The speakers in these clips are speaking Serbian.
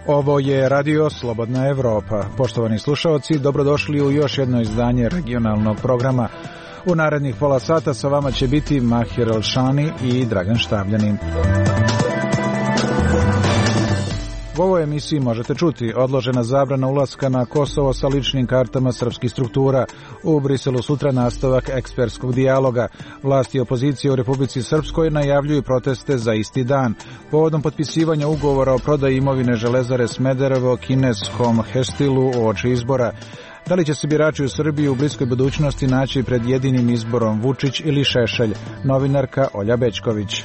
Ovo je Radio Slobodna Evropa. Poštovani slušaoci, dobrodošli u još jedno izdanje regionalnog programa. U narednih pola sata sa vama će biti Mahir Elšani i Dragan Štavljanin. U ovoj emisiji možete čuti odložena zabrana ulaska na Kosovo sa ličnim kartama srpskih struktura. U Briselu sutra nastavak ekspertskog dijaloga. Vlasti i opozicije u Republici Srpskoj najavljuju proteste za isti dan. Povodom potpisivanja ugovora o prodaji imovine Železare Smederevo kineskom Hestilu uoči izbora. Da li će se birači u Srbiji u bliskoj budućnosti naći pred jedinim izborom Vučić ili Šešelj? Novinarka Olja Bećković.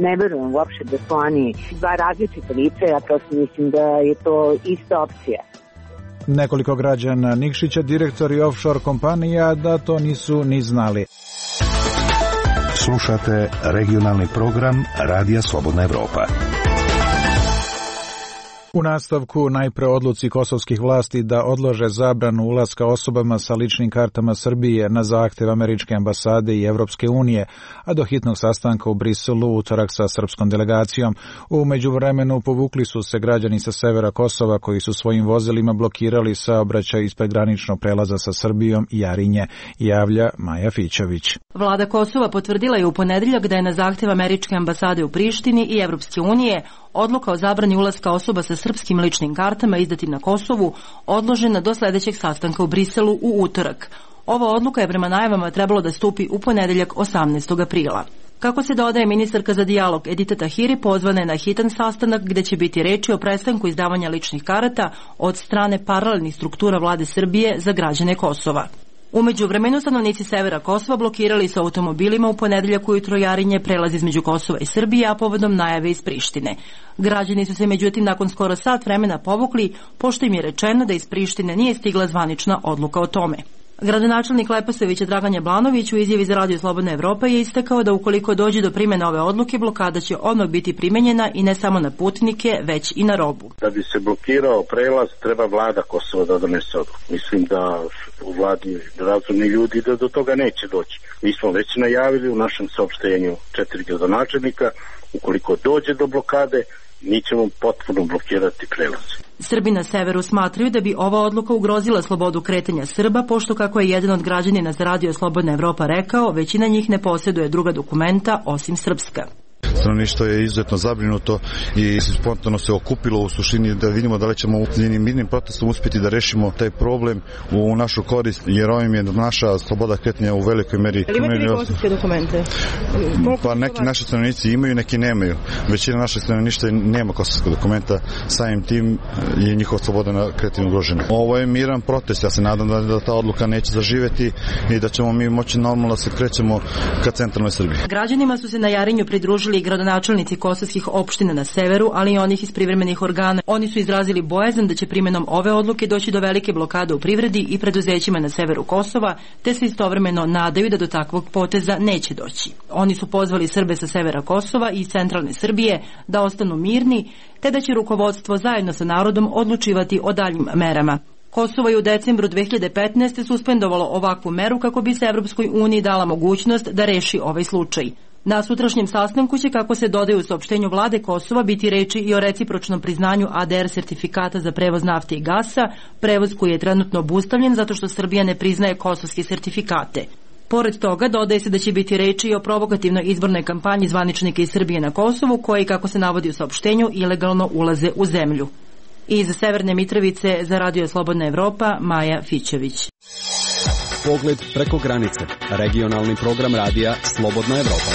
Ne verujem uopšte da su oni dva različita lice, ja prosto mislim da je to ista opcija. Nekoliko građana Nikšića, direktori offshore kompanija, da to nisu ni znali. Slušate regionalni program Radija Slobodna Evropa. U nastavku najpre odluci kosovskih vlasti da odlože zabranu ulaska osobama sa ličnim kartama Srbije na zahtev američke ambasade i Evropske unije, a do hitnog sastanka u Briselu utorak sa srpskom delegacijom. U međuvremenu povukli su se građani sa severa Kosova koji su svojim vozilima blokirali saobraćaj ispred graničnog prelaza sa Srbijom i Jarinje, javlja Maja Fićović. Vlada Kosova potvrdila je u ponedeljak da je na zahtev američke ambasade u Prištini i Evropske unije odluka o zabrani ulaska osoba sa srpskim ličnim kartama izdatim na Kosovu odložena do sledećeg sastanka u Briselu u utorak. Ova odluka je prema najavama trebalo da stupi u ponedeljak 18. aprila. Kako se dodaje, ministarka za dijalog Edita Tahiri pozvana je na hitan sastanak gde će biti reči o prestanku izdavanja ličnih karata od strane paralelnih struktura vlade Srbije za građane Kosova. U međuvremenu stanovnici severa Kosova blokirali su automobilima u ponedeljak ujutro Jarinje prelaz između Kosova i Srbije, a povodom najave iz Prištine. Građani su se međutim nakon skoro sat vremena povukli, pošto im je rečeno da iz Prištine nije stigla zvanična odluka o tome. Gradonačelnik Leposavića Dragan Jablanović u izjavi za Radio Slobodna Evropa je istakao da ukoliko dođe do primjene ove odluke, blokada će odmah biti primenjena i ne samo na putnike, već i na robu. Da bi se blokirao prelaz, treba vlada Kosova da donese odluku. Mislim da u vladi razumni ljudi da do toga neće doći. Mi smo već najavili u našem saopštenju 4 gradonačelnika, ukoliko dođe do blokade, mi ćemo potpuno blokirati prelaz. Srbi na severu smatraju da bi ova odluka ugrozila slobodu kretanja Srba, pošto, kako je jedan od građanina za Radio Slobodna Evropa rekao, većina njih ne posjeduje druga dokumenta osim srpska. Stanovništvo je izuzetno zabrinuto i spontano se okupilo u suštini da vidimo da li ćemo jednim mirnim protestom uspjeti da rešimo taj problem u našu korist, jer ovim je naša sloboda kretanja u velikoj meri. Ali imate vi kosovske dokumente? Pa neki naši stanovnici imaju, neki nemaju. Većina naših stanovništva nema kosovskog dokumenta, samim tim je njihova sloboda na kretanju ugrožena. Ovo je miran protest, ja se nadam da ta odluka neće zaživeti i da ćemo mi moći normalno da se krećemo ka centralnoj Srbiji. Građanima su se na Jarinju pridružili i gradonačelnici kosovskih opština na severu, ali i onih iz privremenih organa. Oni su izrazili bojazan da će primjenom ove odluke doći do velike blokade u privredi i preduzećima na severu Kosova, te se istovremeno nadaju da do takvog poteza neće doći. Oni su pozvali Srbe sa severa Kosova i centralne Srbije da ostanu mirni, te da će rukovodstvo zajedno sa narodom odlučivati o daljim merama. Kosovo je u decembru 2015. suspendovalo ovakvu meru kako bi se Evropskoj uniji dala mogućnost da reši ovaj slučaj. Na sutrašnjem sastanku će, kako se dodaje u saopštenju vlade Kosova, biti reči i o recipročnom priznanju ADR sertifikata za prevoz nafte i gasa, prevoz koji je trenutno obustavljen zato što Srbija ne priznaje kosovske sertifikate. Pored toga, dodaje se da će biti reči i o provokativnoj izbornoj kampanji zvaničnika iz Srbije na Kosovu, koji, kako se navodi u saopštenju, ilegalno ulaze u zemlju. Iz Severne Mitrovice za Radio Slobodna Evropa, Maja Fićević. Pogled preko granice. Regionalni program radija Slobodna Evropa.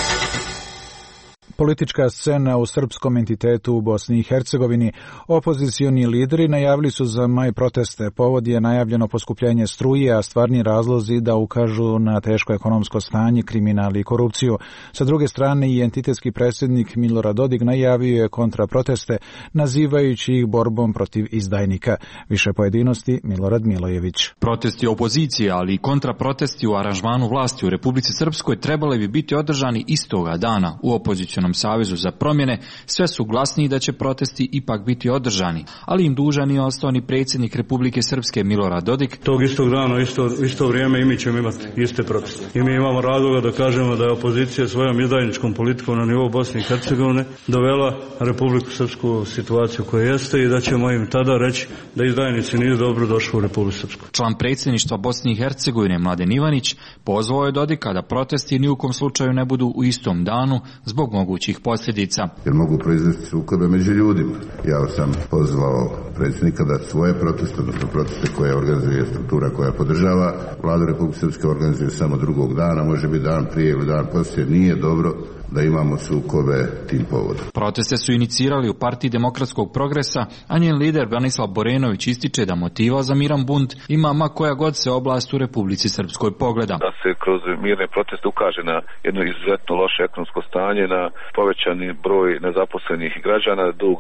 Politička scena u srpskom entitetu u Bosni i Hercegovini. Opozicioni lideri najavili su za maj proteste. Povod je najavljeno poskupljenje struje, a stvarni razlozi da ukažu na teško ekonomsko stanje, kriminal i korupciju. Sa druge strane, i entitetski predsjednik Milorad Dodik najavio je kontraproteste, nazivajući ih borbom protiv izdajnika. Više pojedinosti, Milorad Milojević. Protesti opozicije, ali i kontraprotesti u aranžmanu vlasti u Republici Srpskoj trebali bi biti održani istoga dana u opozicionoj Jedinstvenom savezu za promjene, sve su glasniji da će protesti ipak biti održani, ali im dužan nije ostao ni predsjednik Republike Srpske Milorad Dodik. Tog istog dana, isto vrijeme i mi ćemo imati iste proteste. I mi imamo razloga da kažemo da je opozicija svojom izdajničkom politikom na nivou Bosne i Hercegovine dovela Republiku Srpsku u situaciju koja jeste i da ćemo im tada reći da izdajnici nisu dobro došli u Republiku Srpsku. Član predsjedništva Bosne i Hercegovine Mladen Ivanić pozvao je Dodika da protesti ni u kom slučaju ne budu u istom danu zbog mogućih posljedica. Jer mogu proizvesti sukobe među ljudima. Ja sam pozvao predsjednika da svoje proteste, odnosno proteste koje organizuje struktura koja podržava Vladu Republike Srpske, organizuje samo drugog dana, može biti dan prije ili dan poslije. Nije dobro da imamo sukobe tim povodom. Proteste su inicirali u Partiji demokratskog progresa, a njen lider Branislav Borenović ističe da motiva za miran bunt ima ma koja god se oblast u Republici Srpskoj pogleda. Da se kroz mirne proteste ukaže na jedno izuzetno loše ekonomsko stanje, na povećani broj nezaposlenih građana, dug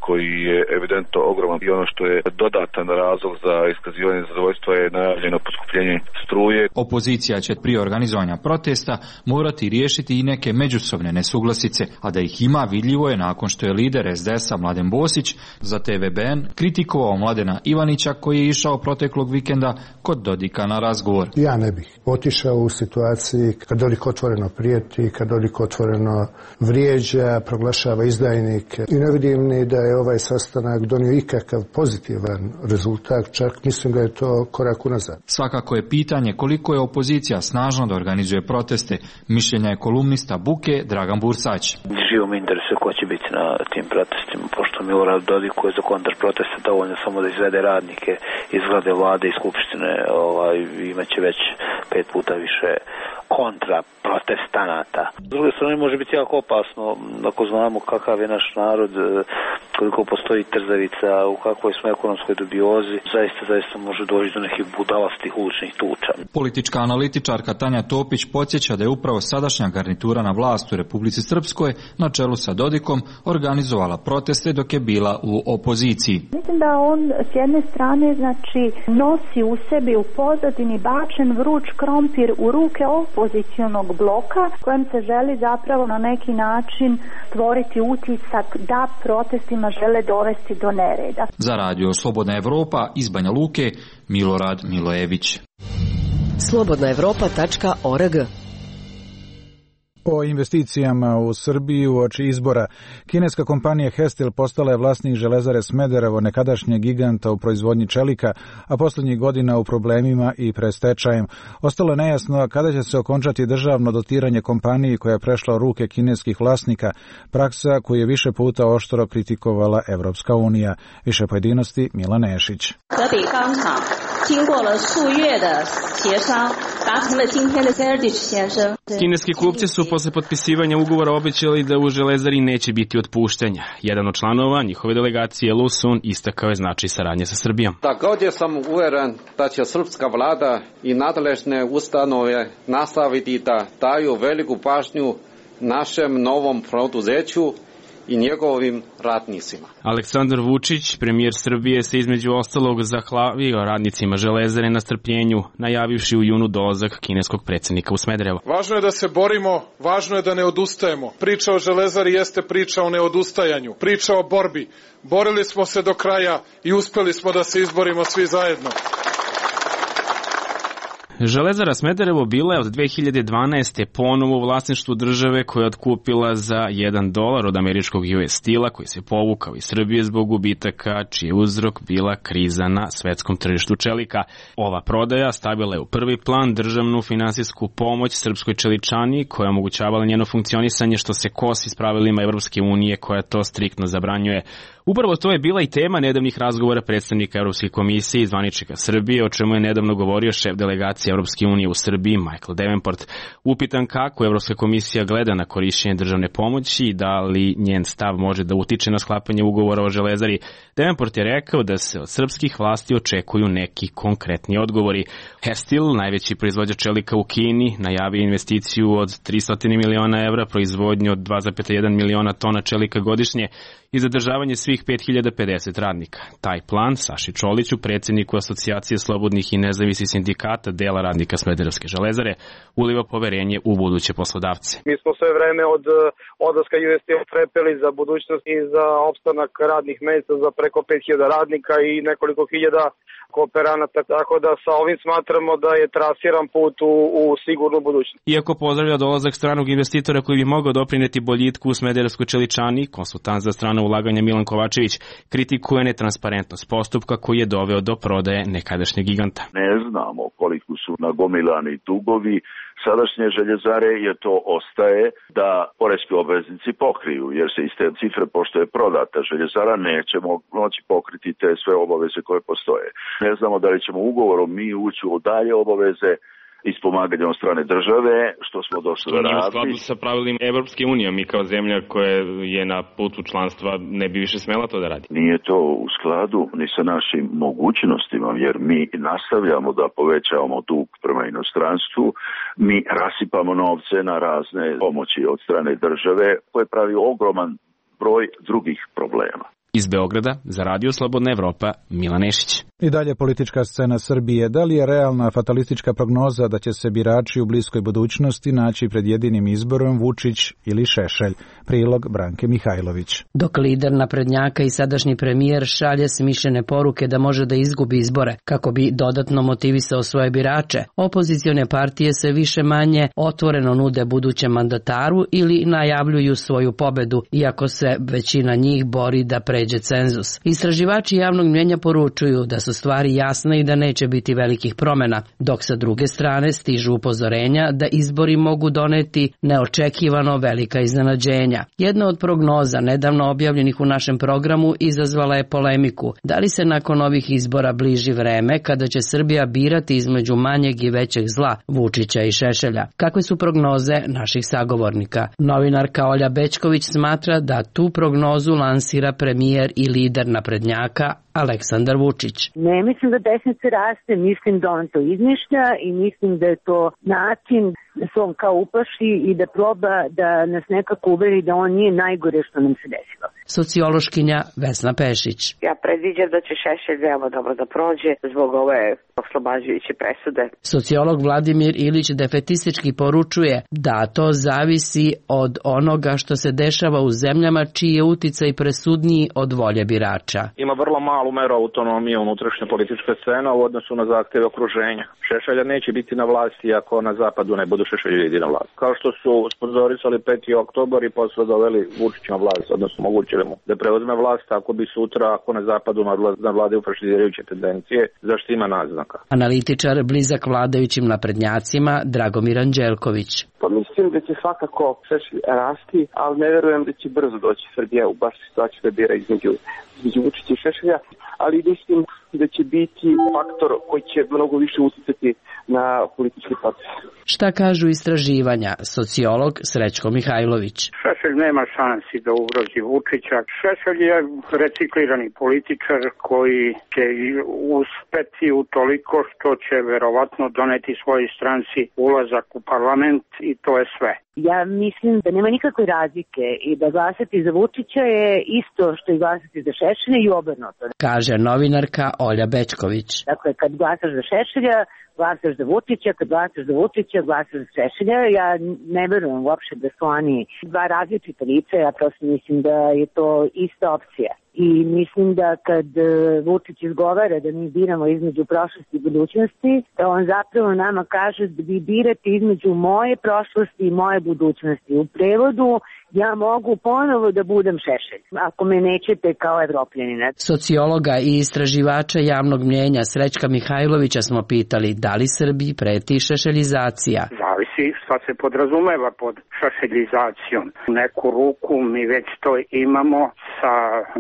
koji je evidentno ogroman i ono što je dodatan razlog za iskazivanje zadovoljstva je najavljeno poskupljenje struje. Opozicija će prije organizovanja protesta morati riješiti i neke međusobne nesuglasice, a da ih ima vidljivo je nakon što je lider SDS-a Mladen Bosić za TVBN kritikovao Mladena Ivanića koji je išao proteklog vikenda kod Dodika na razgovor. Ja ne bih otišao u situaciji kad Dodik otvoreno prijeti, kad Dodik otvoreno vrijeđa, proglašava izdajnike i ne vidim ni da je ovaj sastanak donio ikakav pozitivan rezultat, čak mislim da je to korak unazad. Svakako je pitanje koliko je opozicija snažno da organizuje proteste. Mišljenja je kolumnista Buke Dragan Bursać. Živo me interesuje ko će biti na tim protestima, pošto Milorad Dodik koji je za kontrproteste dovoljno samo da izvede radnike iz zgrade vlade i skupštine, imaće već 5 puta više kontra protestanata. S druge strane može biti jako opasno ako znamo kakav je naš narod, koliko postoji trzavica, u kakvoj smo ekonomskoj dubiozi, zaista može doći do nekih budalastih uličnih tuča. Politička analitičarka Tanja Topić podsjeća da je upravo sadašnja garnitura na vlast u Republici Srpskoj na čelu sa Dodikom organizovala proteste dok je bila u opoziciji. Mislim da on s jedne strane nosi u sebi u pozadini bačen vruć krompir u ruke opozicionog bloka kojem se želi zapravo na neki način stvoriti utisak da protestima žele dovesti do nereda. Za radio Slobodna Evropa iz Banja Luke Milorad Milojević. slobodnaevropa.org. O investicijama u Srbiji uoči izbora. Kineska kompanija Hestil postala je vlasnik Železare Smederevo, nekadašnjeg giganta u proizvodnji čelika, a posljednjih godina u problemima i prestečajem. Ostalo je nejasno kada će se okončati državno dotiranje kompaniji koja je prešla u ruke kineskih vlasnika, praksa koju je više puta oštro kritikovala Evropska unija. Više pojedinosti Mila Nešić. Kineski kupci su posle potpisivanja ugovora obećali da u Železari neće biti otpuštanja. Jedan od članova njihove delegacije Lu Sun istakao je značaj saradnje sa Srbijom. Također sam uveren da će srpska vlada i nadležne ustanove nastaviti da daju veliku pažnju našem novom preduzeću i njegovim radnicima. Aleksandar Vučić, premijer Srbije, se između ostalog zahvalio radnicima Železare na strpljenju, najavivši u junu dolazak kineskog predsjednika u Smederevo. Važno je da se borimo, važno je da ne odustajemo. Priča o Železari jeste priča o neodustajanju, priča o borbi. Borili smo se do kraja i uspeli smo da se izborimo svi zajedno. Železara Smederevo bila je od 2012. ponovo u vlasništvu države koja je otkupila za $1 od američkog US Steel-a koji se povukao iz Srbije zbog gubitaka čiji je uzrok bila kriza na svetskom tržištu čelika. Ova prodaja stavila je u prvi plan državnu finansijsku pomoć srpskoj čeličani koja je omogućavala njeno funkcionisanje što se kosi s pravilima Evropske unije koja to striktno zabranjuje. Upravo to je bila i tema nedavnih razgovora predstavnika Evropske komisije i zvaničnika Srbije, o čemu je nedavno govorio šef delegacije Evropske unije u Srbiji, Michael Davenport. Upitan kako Evropska komisija gleda na korišćenje državne pomoći i da li njen stav može da utiče na sklapanje ugovora o Železari, Davenport je rekao da se od srpskih vlasti očekuju neki konkretni odgovori. Hestil, najveći proizvođač čelika u Kini, najavio investiciju od 300 miliona evra, proizvodnju od 2,1 miliona tona čelika godišnje i zadržavanje svih 5050 radnika. Taj plan Saši Čoliću, predsjedniku Asocijacije slobodnih i nezavisnih sindikata dela dela radnika Smederevske železare uliva poverenje u buduće poslodavce. Mi smo sve vreme od odlaska US Steel trepeli za budućnost i za opstanak radnih mesta za preko 5000 radnika i nekoliko hiljada kooperanata, tako da sa ovim smatramo da je trasiran put u sigurnu budućnost. Iako pozdravlja dolazak stranog investitora koji bi mogao doprineti boljitku u Smederevskoj čeličani, konsultant za strano ulaganje Milan Kovačević kritikuje netransparentnost postupka koji je doveo do prodaje nekadašnjeg giganta. Ne znamo koliko su nagomilani dugovi sadašnje željezare, jer to ostaje da poreski obveznici pokriju, jer se iz te cifre, pošto je prodata željezara, nećemo moći pokriti te sve obaveze koje postoje. Ne znamo da li ćemo ugovorom mi ući u dalje obaveze iz pomaganja od strane države, što smo došli da radili. U skladu sa pravilima Evropske unije, mi kao zemlja koja je na putu članstva ne bi više smela to da radi. Nije to u skladu ni sa našim mogućnostima, jer mi nastavljamo da povećavamo dug prema inostranstvu, mi rasipamo novce na razne pomoći od strane države, koje pravi ogroman broj drugih problema. Iz Beograda za Radio Slobodna Evropa, Milan Nešić. I dalje politička scena Srbije. Da li je realna fatalistička prognoza da će se birači u bliskoj budućnosti naći pred jedinim izborom Vučić ili Šešelj? Prilog Branke Mihajlović. Dok lider naprednjaka i sadašnji premijer šalje smišljene poruke da može da izgubi izbore kako bi dodatno motivisao svoje birače, opozicione partije se više manje otvoreno nude budućem mandataru ili najavljuju svoju pobedu, iako se većina njih bori da pređe cenzus. Istraživači javnog mnjenja poručuju da su stvari jasne i da neće biti velikih promjena, dok sa druge strane stižu upozorenja da izbori mogu doneti neočekivano velika iznenađenja. Jedna od prognoza nedavno objavljenih u našem programu izazvala je polemiku. Da li se nakon ovih izbora bliži vreme kada će Srbija birati između manjeg i većeg zla, Vučića i Šešelja? Kakve su prognoze naših sagovornika? Novinarka Olja Bećković smatra da tu prognozu lansira premijer i lider naprednjaka Aleksandar Vučić. Ne mislim da desnica raste, mislim da on to izmišlja i mislim da je to način da se on kao uplaši i da proba da nas nekako uveri da on nije najgore što nam se desilo. Sociološkinja Vesna Pešić. Ja predviđam da će Šešelj veoma dobro da prođe zbog ove oslobađajuće presude. Sociolog Vladimir Ilić defetistički poručuje da to zavisi od onoga što se dešava u zemljama čiji je uticaj presudniji od volje birača. Ima vrlo malu meru autonomije unutrašnje političke scene u odnosu na zahteve okruženja. Šešelja neće biti na vlasti ako na zapadu ne budu Šešelj na vlast. Kao što su sponzorisali 5. oktobar i posle doveli Vučića na vlast, odnosno mogućili mu da preuzme vlast ako bi sutra, ako na zapadu na vladaju fašizirajuće tendencije, zašto ima naznaka. Analitičar blizak vladajućim naprednjacima Dragomir Anđelković. Pa mislim da će svakako Šešelj rasti, ali ne verujem da će brzo doći Srbija u baš situaciju da bira između Vučića i Šešelja, ali mislim da će biti faktor koji će mnogo više uticati na politički proces. Šta kažu istraživanja? Sociolog Srećko Mihajlović. Šešelj nema šansi da ugrozi Vučića. Šešelj je reciklirani političar koji će uspeti u toliko što će verovatno doneti svojoj stranci ulazak u parlament i to je sve. Ja mislim da nema nikakve razlike i da glasati za Vučića je isto što i glasati za Šešelja i obrnuto. Kaže novinarka Olja Bećković. Dakle, kad glasaš za Šešelja, glasaš za Vučića, kad glasaš za Vučića, glasaš za Šešelja. Ja ne verujem uopšte da su oni dva različita lica, ja prosto mislim da je to ista opcija. I mislim da kad Vučić izgovara da mi biramo između prošlosti i budućnosti, da on zapravo nama kaže da vi birate između moje prošlosti i moje budućnosti. U prevodu, ja mogu ponovo da budem Šešelj, ako me nećete kao Evropljanina. Sociologa i istraživača javnog mnjenja Srećka Mihajlovića smo pitali da li Srbiji preti šešeljizacija. Zavisi šta se podrazumeva pod šešeljizacijom. U neku ruku mi već to imamo sa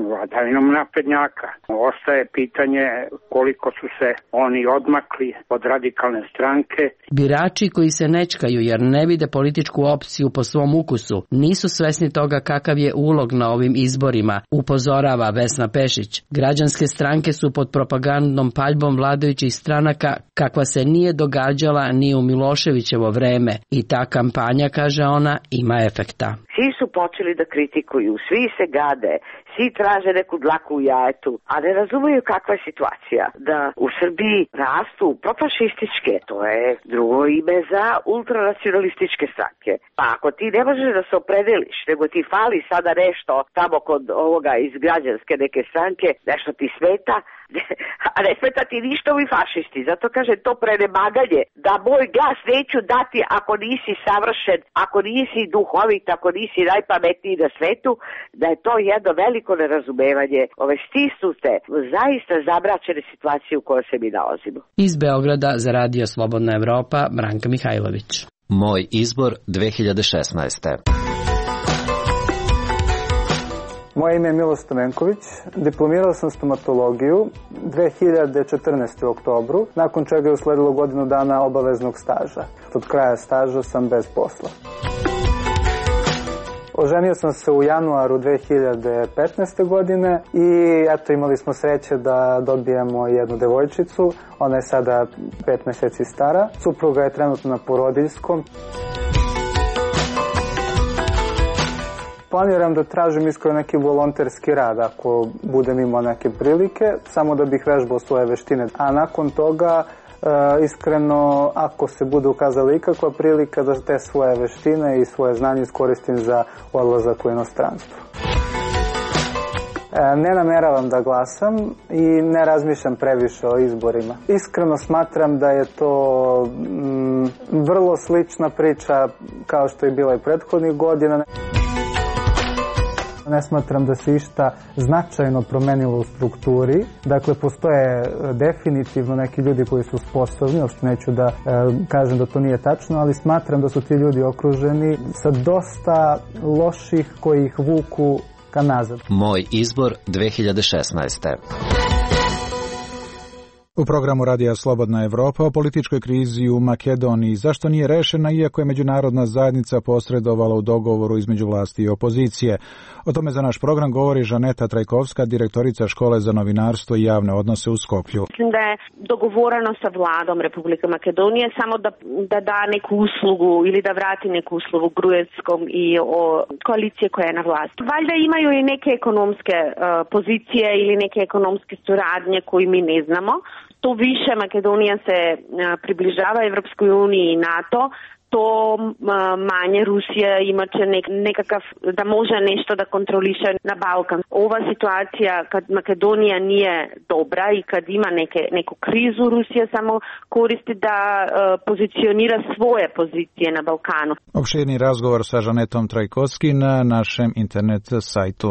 vladavinom naprednjaka. Ostaje pitanje koliko su se oni odmakli od radikalne stranke. Birači koji se nečkaju jer ne vide političku opciju po svom ukusu, nisu svesni toga kakav je ulog na ovim izborima, upozorava Vesna Pešić. Građanske stranke su pod propagandnom paljbom vladajućih stranaka kakva se nije događala ni u Miloševićevo vreme i ta kampanja, kaže ona, ima efekta. Svi su počeli da kritikuju, svi se gade, svi traže neku dlaku u jajetu, a ne razumiju kakva je situacija. Da u Srbiji rastu profašističke, to je drugo ime za ultranacionalističke stranke. Pa ako ti ne možeš da se opredeliš, nego ti fali sada nešto tamo kod ovoga iz građanske neke stranke, nešto ti smeta, a ne smeta ti ništa ovi fašisti. Zato kažem to prenemaganje, da moj glas neću dati ako nisi savršen, ako nisi duhovit, ako nisi najpametniji na svetu, da je to jedno veliko nerazumevanje ove stisnute, zaista zamračene situacije u kojoj se mi nalazimo. Iz Beograda za Radio Slobodna Evropa, Branka Mihajlović. Moj izbor 2016. Moje ime je Miloš Stamenković, diplomirao sam stomatologiju 2014. u oktobru, nakon čega je usledilo godinu dana obaveznog staža. Od kraja staža sam bez posla. Oženio sam se u januaru 2015. godine i eto imali smo sreće da dobijemo jednu devojčicu, ona je sada 5 meseci stara, supruga je trenutno na porodiljskom. Planiram da tražim iskreno neki volonterski rad ako budem imao neke prilike, samo da bih vežbao svoje veštine. A nakon toga, iskreno, ako se bude ukazala ikakva prilika da te svoje veštine i svoje znanje iskoristim za odlazak u inostranstvo. Ne nameravam da glasam i ne razmišljam previše o izborima. Iskreno smatram da je to vrlo slična priča kao što je bila i prethodnih godina. Ne smatram da se išta značajno promenilo u strukturi. Dakle, postoje definitivno neki ljudi koji su sposobni, uopšte neću da kažem da to nije tačno, ali smatram da su ti ljudi okruženi sa dosta loših koji ih vuku ka nazad. Moj izbor 2016. U programu Radija Slobodna Evropa o političkoj krizi u Makedoniji, zašto nije rešena iako je međunarodna zajednica posredovala u dogovoru između vlasti i opozicije. O tome za naš program govori Žaneta Trajkovska, direktorica Škole za novinarstvo i javne odnose u Skoplju. Mislim da je dogovoreno sa vladom Republike Makedonije samo da da neku uslugu ili da vrati neku uslugu Gruevskom i o koalicije koja je na vlasti. Valjda imaju i neke ekonomske pozicije ili neke ekonomske suradnje koje mi ne znamo. To više Makedonija se približava Evropskoj uniji i NATO, to manje Rusija imaće nekakav, da može nešto da kontroliše na Balkan. Ova situacija kad Makedonija nije dobra i kad ima neku krizu, Rusija samo koristi da pozicionira svoje pozicije na Balkanu. Opširni razgovor sa Žanetom Trajkovski na našem internet sajtu.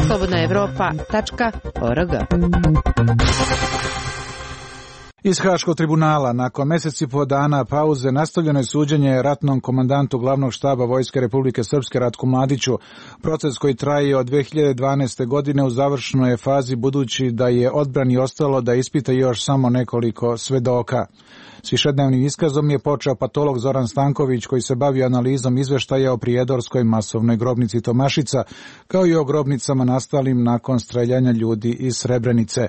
slobodnaevropa.org. Iz Haškog tribunala, nakon meseci po dana pauze, nastavljeno je suđenje ratnom komandantu glavnog štaba Vojske Republike Srpske Ratku Mladiću. Proces koji traje od 2012. godine u završnoj je fazi, budući da je odbrani ostalo da ispita još samo nekoliko svedoka. S višednevnim iskazom je počeo patolog Zoran Stanković, koji se bavio analizom izveštaja o prijedorskoj masovnoj grobnici Tomašica, kao i o grobnicama nastalim nakon streljanja ljudi iz Srebrenice,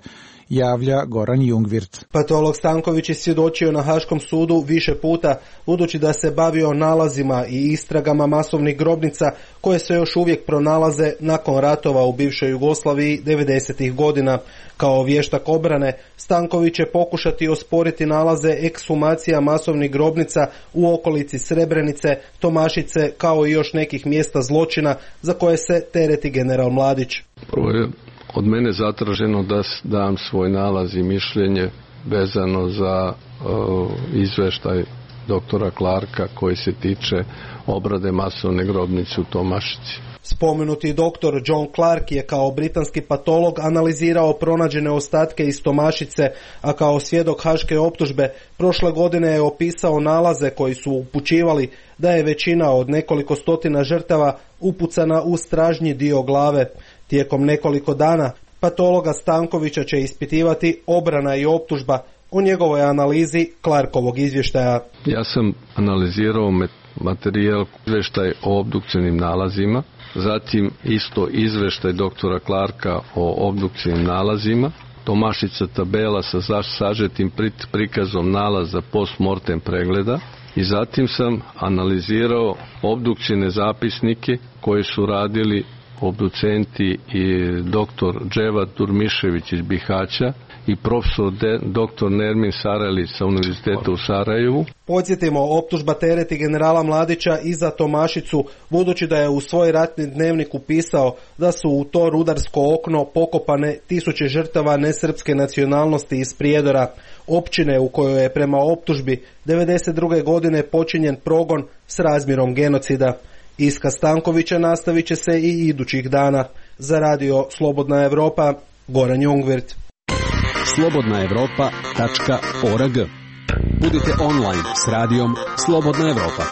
javlja Goran Jungvirt. Patolog Stanković je svjedočio na Haškom sudu više puta, budući da se bavio nalazima i istragama masovnih grobnica koje se još uvijek pronalaze nakon ratova u bivšoj Jugoslaviji 90. godina. Kao vještak obrane, Stanković će pokušati osporiti nalaze ekshumacija masovnih grobnica u okolici Srebrenice, Tomašice, kao i još nekih mjesta zločina za koje se tereti general Mladić. Prvo je od mene zatraženo da dam svoj nalaz i mišljenje vezano za izveštaj doktora Clarka koji se tiče obrade masovne grobnice u Tomašici. Spomenuti doktor John Clark je kao britanski patolog analizirao pronađene ostatke iz Tomašice, a kao svjedok haške optužbe prošle godine je opisao nalaze koji su upućivali da je većina od nekoliko stotina žrtava upucana u stražnji dio glave. Tijekom nekoliko dana patologa Stankovića će ispitivati obrana i optužba o njegovoj analizi Clarkovog izvještaja. Ja sam analizirao materijal, izvještaj o obdukcijnim nalazima, zatim isto izvještaj doktora Clarka o obdukcijnim nalazima, Tomašica tabela sa sažetim prikazom nalaza post-mortem pregleda i zatim sam analizirao obdukcijne zapisnike koje su radili obducenti i doktor Dževat Durmišević iz Bihaća i profesor dr. Nermin Sarajlić sa Univerziteta u Sarajevu. Podsjetimo, optužba tereti generala Mladića i za Tomašicu, budući da je u svoj ratni dnevnik upisao da su u to rudarsko okno pokopane tisuće žrtava nesrpske nacionalnosti iz Prijedora, općine u kojoj je prema optužbi 1992. godine počinjen progon s razmjerom genocida. Iskaz Stankovića nastavit će se i idućih dana. Za radio Slobodna Evropa, Goran Jungwirth. slobodnaevropa.org. Budite online s radijom Slobodna Evropa.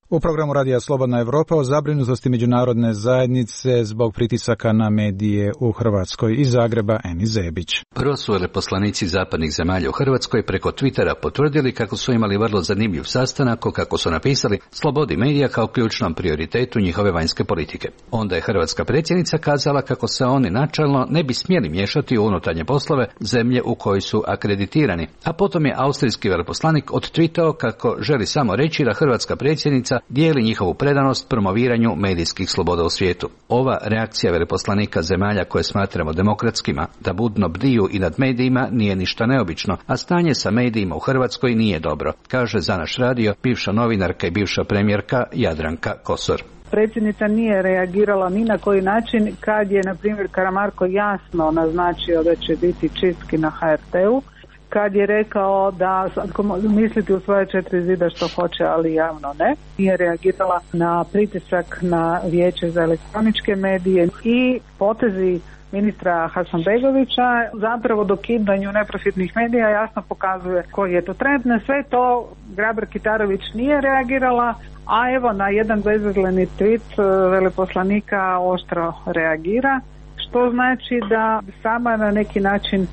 U programu Radija Slobodna Evropa o zabrinutosti međunarodne zajednice zbog pritisaka na medije u Hrvatskoj. Iz Zagreba, Eni Zebić. Prvo su veleposlanici zapadnih zemalja u Hrvatskoj preko Twittera potvrdili kako su imali vrlo zanimljiv sastanak o, kako su napisali, slobodi medija kao ključnom prioritetu njihove vanjske politike. Onda je hrvatska predsjednica kazala kako se oni načelno ne bi smjeli miješati u unutarnje poslove zemlje u kojoj su akreditirani, a potom je austrijski veleposlanik odtwitao kako želi samo reći da hrvatska predsjednica dijeli njihovu predanost promoviranju medijskih sloboda u svijetu. Ova reakcija veleposlanika zemalja koje smatramo demokratskima da budno bdiju i nad medijima nije ništa neobično, a stanje sa medijima u Hrvatskoj nije dobro, kaže za naš radio bivša novinarka i bivša premijerka Jadranka Kosor. Predsjednica nije reagirala ni na koji način kad je, na primjer, Karamarko jasno naznačio da će biti čistki na HRT-u, kad je rekao da misliti u svoje 4 zida što hoće, ali javno ne. Nije reagirala na pritisak na Vijeće za elektroničke medije i potezi ministra Hasanbegovića zapravo dokidanju neprofitnih medija jasno pokazuje koji je to trend. Na sve to Grabar-Kitarović nije reagirala, a evo na jedan bezazleni tweet veleposlanika oštro reagira, što znači da sama na neki način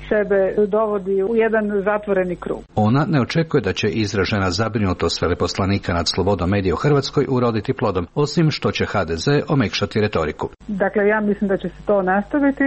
sebe dovodi u jedan zatvoreni krug. Ona ne očekuje da će izražena zabrinutost veleposlanika nad slobodom medija u Hrvatskoj uroditi plodom, osim što će HDZ omekšati retoriku. Dakle, ja mislim da će se to nastaviti,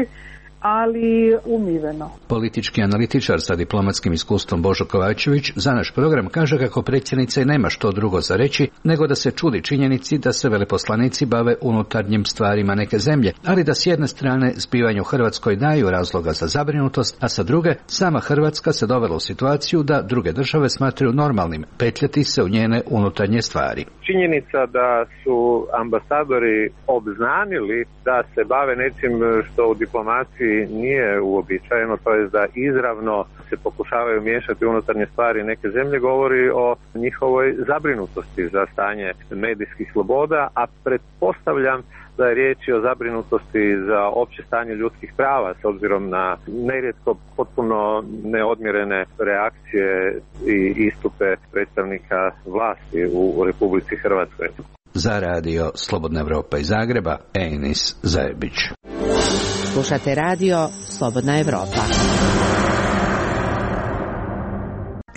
ali umiveno. Politički analitičar sa diplomatskim iskustvom Božo Kovačević za naš program kaže kako predsjednica nema što drugo za reći nego da se čudi činjenici da se veleposlanici bave unutarnjim stvarima neke zemlje, ali da s jedne strane zbivanje u Hrvatskoj daju razloga za zabrinutost, a sa druge sama Hrvatska se dovela u situaciju da druge države smatraju normalnim petljati se u njene unutarnje stvari. Činjenica da su ambasadori obznanili da se bave nečim što u diplomaciji nije uobičajeno, to je da izravno se pokušavaju miješati unutarnje stvari neke zemlje, govori o njihovoj zabrinutosti za stanje medijskih sloboda, a pretpostavljam da je riječ o zabrinutosti za opće stanje ljudskih prava s obzirom na nerijetko potpuno neodmjerene reakcije i istupe predstavnika vlasti u Republici Hrvatskoj. Za radio Slobodna Evropa iz Zagreba, Enis Zajebić. Slušate radio Slobodna Evropa.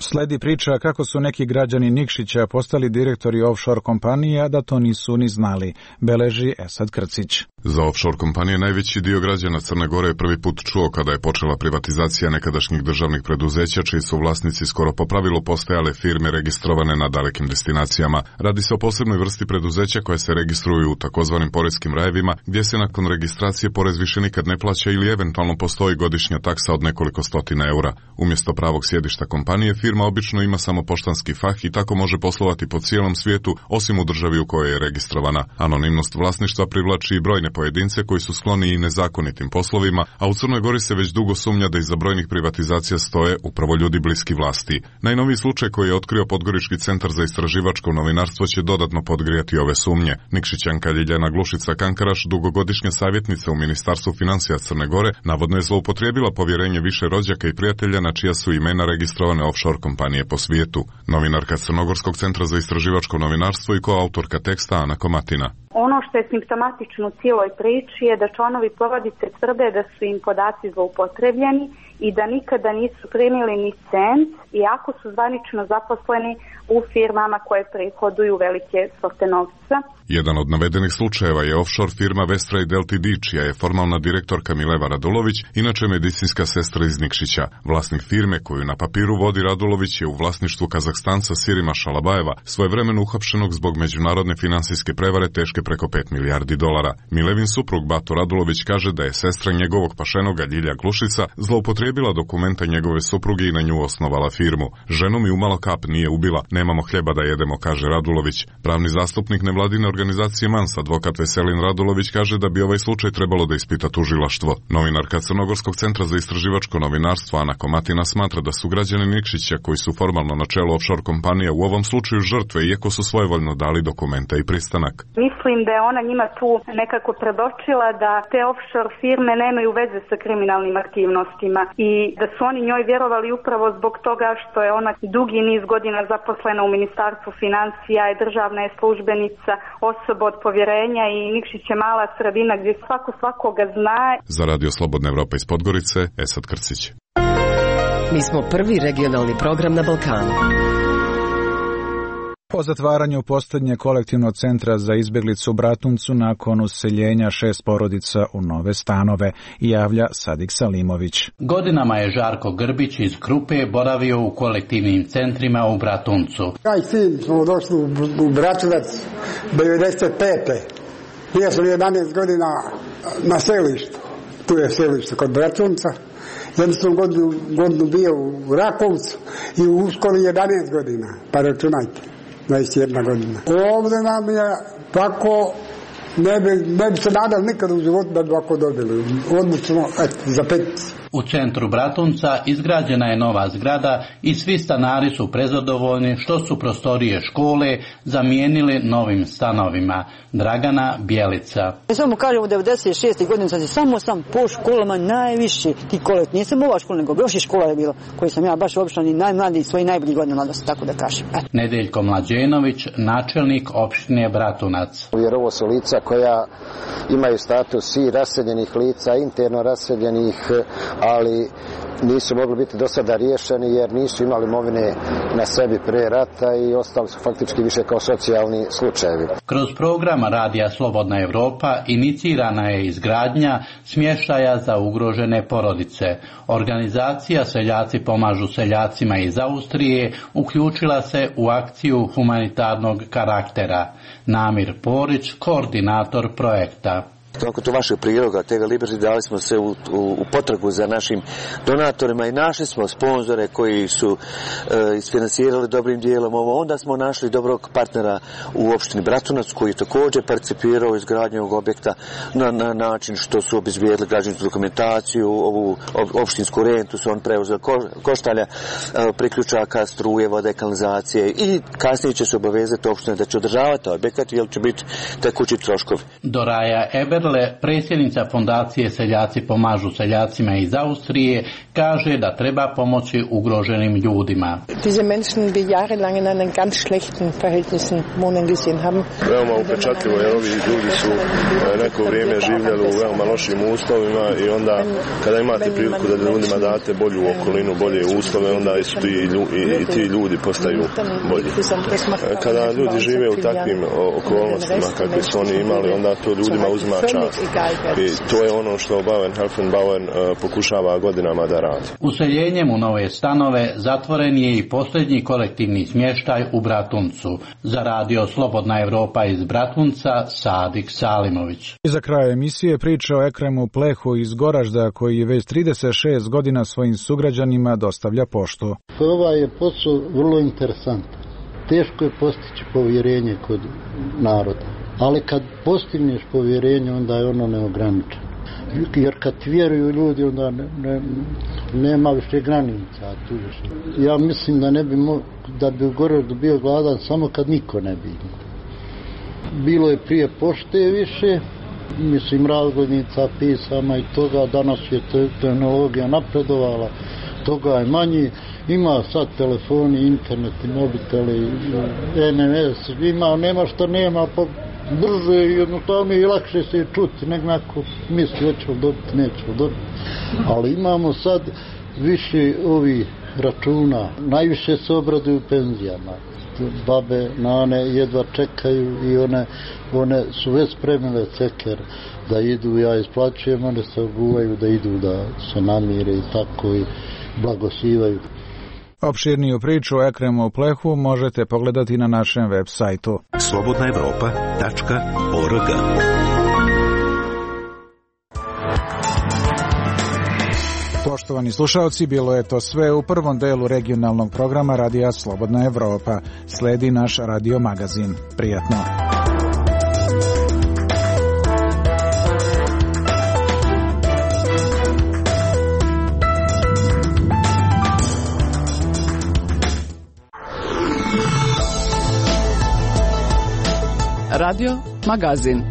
Sledi priča kako su neki građani Nikšića postali direktori offshore kompanija, da to nisu ni znali, beleži Esad Krcić. Za offshore kompanije najveći dio građana Crne Gore je prvi put čuo kada je počela privatizacija nekadašnjih državnih preduzeća, čiji su vlasnici skoro po pravilu postajale firme registrovane na dalekim destinacijama. Radi se o posebnoj vrsti preduzeća koje se registruju u takozvanim poreskim rajevima, gdje se nakon registracije porez više nikad ne plaća ili eventualno postoji godišnja taksa od nekoliko stotina eura. Umjesto pravog sjedišta kompanije, firma obično ima samo poštanski fah i tako može poslovati po cijelom svijetu, osim u državi u kojoj je registrovana. Anonimnost vlasništva privlači i brojne pojedince koji su skloni i nezakonitim poslovima, a u Crnoj Gori se već dugo sumnja da iza brojnih privatizacija stoje upravo ljudi bliski vlasti. Najnoviji slučaj koji je otkrio Podgorički centar za istraživačko novinarstvo će dodatno podgrijati ove sumnje. Nikšićanka Ljiljana Glušica Kankaraš, dugogodišnja savjetnica u Ministarstvu financija Crne Gore, navodno je zloupotrijebila povjerenje više rođaka i prijatelja na čija su imena registrovane offshore kompanije po svijetu. Novinarka Crnogorskog centra za istraživačko novinarstvo i koautorka teksta Ana Komatina. Ono što je simptomatično u cijeloj priči je da članovi porodice tvrde da su im podaci zloupotrebljeni i da nikada nisu primili ni cent, iako su zvanično zaposleni u firmama koje prihoduju velike svote novca. Jedan od navedenih slučajeva je offshore firma Vestrade Ltd, čija je formalna direktorka Mileva Radulović, inače medicinska sestra iz Nikšića. Vlasnik firme koju na papiru vodi Radulović je u vlasništvu Kazahstanca Sirima Šalabajeva, svojevremeno uhapšenog zbog međunarodne finansijske prevare teške gubitke preko 5 milijardi dolara. Milevin suprug Bato Radulović kaže da je sestra njegovog pašenoga Ljilja Glušica zloupotrijebila dokumenta njegove supruge i na nju osnovala firmu. Ženu mi umalo kap nije ubila, nemamo hljeba da jedemo, kaže Radulović. Pravni zastupnik nevladine organizacije MANS, advokat Veselin Radulović, kaže da bi ovaj slučaj trebalo da ispita tužilaštvo. Novinarka Crnogorskog centra za istraživačko novinarstvo Ana Komatina smatra da su građani Nikšića, koji su formalno na čelu offshore kompanija, u ovom slučaju žrtve, iako su svojevoljno dali dokumenta i pristanak. Mislim da je ona njima tu nekako predočila da te offshore firme nemaju veze sa kriminalnim aktivnostima i da su oni njoj vjerovali upravo zbog toga što je ona dugi niz godina zaposlena u Ministarstvu financija, je državna je službenica, osoba od povjerenja i Nikšić je mala sredina gdje svako svakoga zna. Za Radio Slobodna Evropa iz Podgorice, Esad Krcić. Mi smo prvi regionalni program na Balkanu. Po zatvaranju posljednje kolektivnog centra za izbjeglicu u Bratuncu nakon useljenja 6 porodica u nove stanove, javlja Sadik Salimović. Godinama je Žarko Grbić iz Krupe boravio u kolektivnim centrima u Bratuncu. Ja i sin smo došli u Bratunac 95. Bio sam 11 godina na selištu. Tu je selište kod Bratunca. Jednu sam godinu bio u Rakovcu i u školi 11 godina. Pa računajte. 21 godina. Ovdje nam je tako, ne bi se nadal nikad u životu da bi ovako dobili. Odlično, za 5. U centru Bratunca izgrađena je nova zgrada i svi stanari su prezadovoljni što su prostorije škole zamijenili novim stanovima. Dragana Bjelica. Ja samo kažem, u 96. godini samo sam po školama najviši ti kolet. Nisam ova škola, nego još i škola je bilo, koju sam ja baš obično ni najmladiji svoji najbolji godina mladosti, tako da kažem. Nedeljko Mlađenović, načelnik opštine Bratunac. Jer ovo su lica koja imaju status i raseljenih lica, interno raseljenih, ali nisu mogli biti do sada riješeni jer nisu imali imovine na sebi pre rata i ostali su faktički više kao socijalni slučajevi. Kroz program Radija Slobodna Evropa inicirana je izgradnja smještaja za ugrožene porodice. Organizacija Seljaci pomažu seljacima iz Austrije uključila se u akciju humanitarnog karaktera. Namir Porić, koordinator projekta. Nakon to vašeg priloga, Tega Liberty, dali smo se u potragu za našim donatorima i našli smo sponzore koji su isfinansirali dobrim dijelom ovo. Onda smo našli dobrog partnera u opštini Bratunac koji je također participirao u izgradnju ovog objekta na način što su obezbijedili građevinsku dokumentaciju, ovu opštinsku rentu su on preuzeli koštalja, priključaka, struje, vode, kanalizacije i kasnije će se obavezati opština da će održavati objekat jer će biti tekući troškovi. Doraja Eberle, predsjednica fondacije Seljaci pomažu seljacima iz Austrije, kaže da treba pomoći ugroženim ljudima. Diese Menschen die jahrelang in einem ganz schlechten Verhältnissen wohnen gesehen haben. Veoma upečatljivo jer ovi ljudi su neko vrijeme živjeli u veoma lošim uslovima i onda kada imate priliku da ljudima date bolju okolinu, bolje uslove, onda i ti ljudi postaju bolji. Kada ljudi žive u takvim okolnostima kakve su oni imali, onda to ljudima uzima čast. I to je ono što Bauern Helfenbauern pokušava godinama da radi. Useljenjem u nove stanove zatvoren je i posljednji kolektivni smještaj u Bratuncu. Za Radio Slobodna Evropa iz Bratunca, Sadik Salimović. I za kraj emisije priča o Ekremu Plehu iz Goražda koji već 36 godina svojim sugrađanima dostavlja poštu. Ovaj je posao vrlo interesantan. Teško je postići povjerenje kod naroda. Ali kad postigneš povjerenje, onda je ono neograničeno. Jer kad vjeruju ljudi, onda nema više granica. Ja mislim da da bi u Goraždu bio gladan samo kad niko ne bi. Bilo je prije pošte više, mislim razglednica, pisama i toga. Danas je tehnologija napredovala, toga je manji. Ima sad telefoni, internet, mobiteli, NMS, nema što nema, pa brže i jednostavno i lakše se čuti, nek neko misli hoćemo dobiti, nećemo dobiti. Ali imamo sad više ovih računa, najviše se obraduju penzijama. Babe, nane jedva čekaju i one su već spremile ceker da idu, ja isplaćujem, one se oguvaju da idu da se namire i tako i blagosivaju. Opširniju priču o Ekremu Plehu možete pogledati na našem web sajtu. slobodnaevropa.org. Poštovani slušalci, bilo je to sve u prvom delu regionalnog programa Radija Slobodna Evropa. Sledi naš radio magazin. Prijatno. Radio magazin.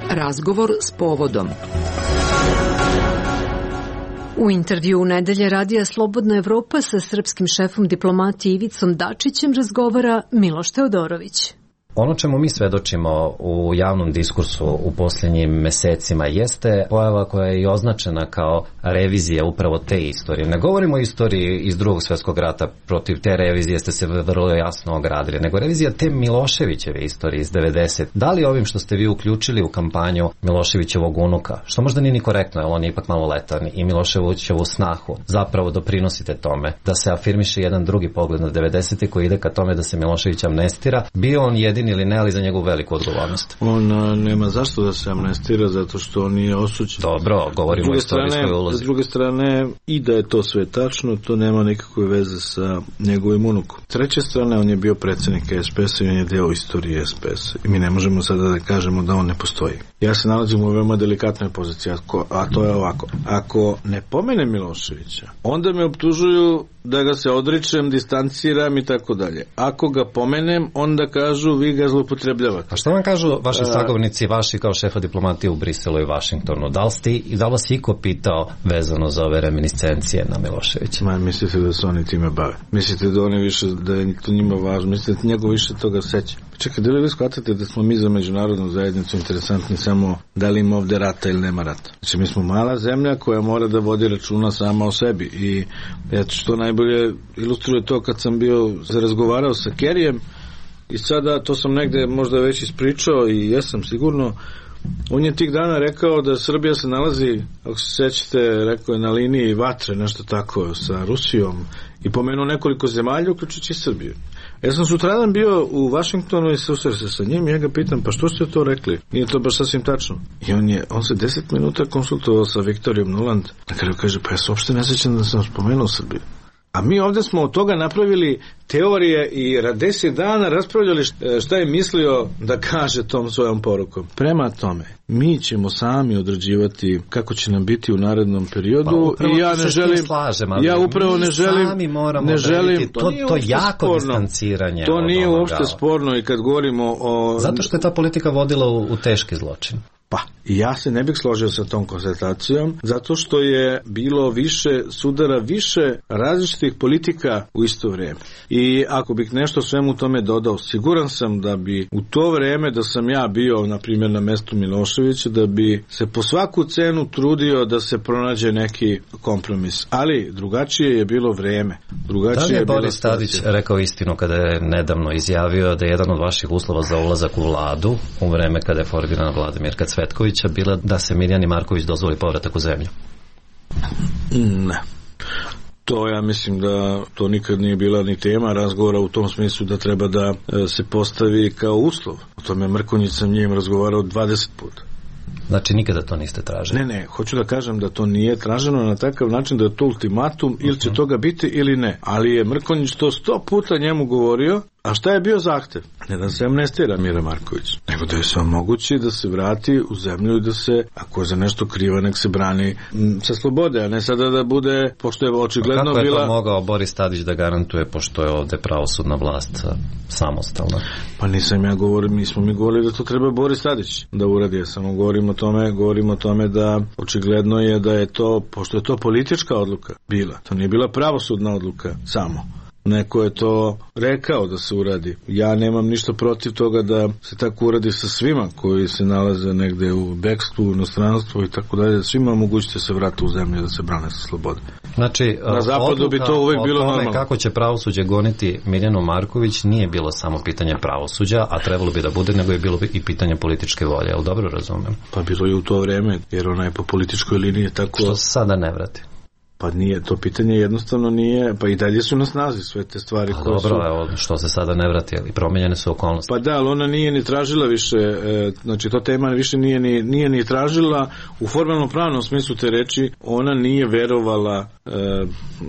Razgovor s povodom. U intervju u nedelje Radija Slobodna Evropa sa srpskim šefom diplomatije Ivicom Dačićem razgovara Miloš Teodorović. Ono čemu mi svedočimo u javnom diskursu u posljednjim mesecima jeste pojava koja je i označena kao revizija upravo te istorije. Ne govorimo o istoriji iz Drugog svjetskog rata, protiv te revizije ste se vrlo jasno ogradili, nego revizija te Miloševićeve istorije iz 90. Da li ovim što ste vi uključili u kampanju Miloševićevog unuka, što možda nije ni korektno, jer on je ipak maloletan, i Miloševićevu snahu, zapravo doprinosite tome da se afirmiše jedan drugi pogled na 90. koji ide ka tome da se Milošević amnestira, bio on jedini ili ne, ali za njegovu veliku odgovornost. On nema zašto da se amnestira, zato što on nije osuđen. Dobro, govorimo o istorijskoj ulozi. S druge strane, i da je to sve tačno, to nema nikakve veze sa njegovim unukom. S treće strane, on je bio predsjednik SPS-a i on je deo istorije SPS-a. I mi ne možemo sada da kažemo da on ne postoji. Ja se nalazim u veoma delikatnoj poziciji, a to je ovako. Ako ne pomene Miloševića, onda me optužuju da ga se odričem, distanciram i tako dalje. Ako ga pomenem, onda kažu vi ga zloupotrebljavate. A što vam kažu vaši sagovornici, vaši kao šefa diplomatije u Briselu i Vašingtonu? Da li vas iko pitao vezano za ove reminiscencije na Miloševića? Mislite da se oni time bave? Mislite da oni više, da je to njima važno? Mislite da njegov više toga seća? Čekaj, da li vi shvatate da smo mi za međunarodnu zajednicu interesantni samo da li ima ovde rata ili nema rata? Znači, mi smo mala zemlja koja mora da vodi računa sama o sebi i eto što najbolje ilustruje to kad sam bio razgovarao sa Kerijem i sada to sam negde možda već ispričao i jesam sigurno. On je tih dana rekao da Srbija se nalazi, ako se sećate, rekao je na liniji vatre, nešto tako, sa Rusijom i pomenuo nekoliko zemalja, uključujući Srbiju. Ja sam sutradan bio u Vašingtonu i susreo se sa njim i ja ga pitam, pa što ste to rekli? Nije to baš sasvim tačno. I on se 10 minuta konsultovao sa Viktorijom Nuland. Na kraju kaže, pa ja se uopšte ne sećam da sam spomenuo Srbiju. A mi ovdje smo od toga napravili teorije i 10 dana raspravljali šta je mislio da kaže tom svojom porukom. Prema tome, mi ćemo sami određivati kako će nam biti u narednom periodu i ja ne želim, ja upravo ne želim, to jako distanciranje. To nije uopšte sporno i kad govorimo o... Zato što je ta politika vodila u teški zločin. Pa, ja se ne bih složio sa tom konstatacijom, zato što je bilo više sudara, više različitih politika u isto vrijeme. I ako bih nešto svemu tome dodao, siguran sam da bi u to vrijeme da sam ja bio, na primjer, na mestu Miloševića, da bi se po svaku cenu trudio da se pronađe neki kompromis. Ali drugačije je bilo vrijeme. Da li je Boris Tadić rekao istinu kada je nedavno izjavio da je jedan od vaših uslova za ulazak u vladu u vreme kada je formirana vlada Mirka Cvetkovića bila da se Mirjani Marković dozvoli povratak u zemlju? Ne. To ja mislim da to nikad nije bila ni tema razgovora u tom smislu da treba da se postavi kao uslov. O tome Mrkonjić sam njim razgovarao 20 puta. Znači nikada to niste tražili? Ne, hoću da kažem da to nije traženo na takav način da je to ultimatum ili će toga biti ili ne. Ali je Mrkonjić to 100 puta njemu govorio. A šta je bio zahtev? Ne da se amnestira Mira Marković, nego da je sve moguće da se vrati u zemlju i da se, ako je za nešto kriva, nek se brani sa slobode, a ne sada da bude, pošto je očigledno bila... Kako je to mogao Boris Tadić da garantuje, pošto je ovde pravosudna vlast samostalna? Pa nisam ja govorio, mi smo govorili da to treba Boris Tadić da uradi, ja samo govorim o tome da očigledno je da je to, pošto je to politička odluka bila, to nije bila pravosudna odluka samo. neko je to rekao da se uradi. Ja nemam ništa protiv toga da se tako uradi sa svima koji se nalaze negde u bekstvu, u inostranstvu i tako dalje. Svima mogućite se vrati u zemlju da se brane sa slobode. Znači, na zapadu bi to uvek bilo normalno. Kako će pravosuđe goniti Mirjanu Marković nije bilo samo pitanje pravosuđa, a trebalo bi da bude, nego je bilo i pitanje političke volje. Jel dobro razumem? Pa bilo je u to vreme, jer ona je po političkoj liniji tako... Što se sada ne vrati? Pa nije, to pitanje jednostavno nije, pa i dalje su na snazi sve te stvari koje dobro, su... Evo, što se sada ne vrati, ali promenjene su okolnosti. Pa da, ali ona nije ni tražila više, znači to tema više nije ni tražila u formalnom pravnom smislu te reči, ona nije verovala,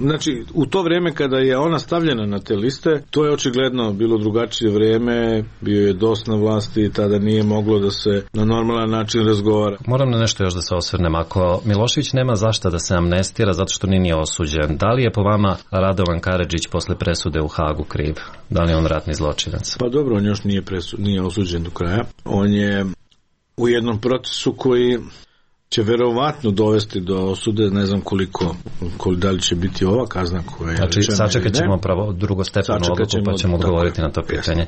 znači u to vreme kada je ona stavljena na te liste, to je očigledno bilo drugačije vreme, bio je DOS na vlasti i tada nije moglo da se na normalan način razgovara. Moram na nešto još da se osvrnem, ako Milošević nema zašta da se amnestira zato što nije osuđen, da li je po vama Radovan Karadžić posle presude u Hagu kriv? Da li je on ratni zločinac? Pa dobro, on još nije osuđen do kraja. On je u jednom procesu koji će verovatno dovesti do osude, ne znam koliko da li će biti ova kazna koja je znači, sačekat ćemo pravo drugostepenu odluku pa ćemo odgovoriti na to pitanje.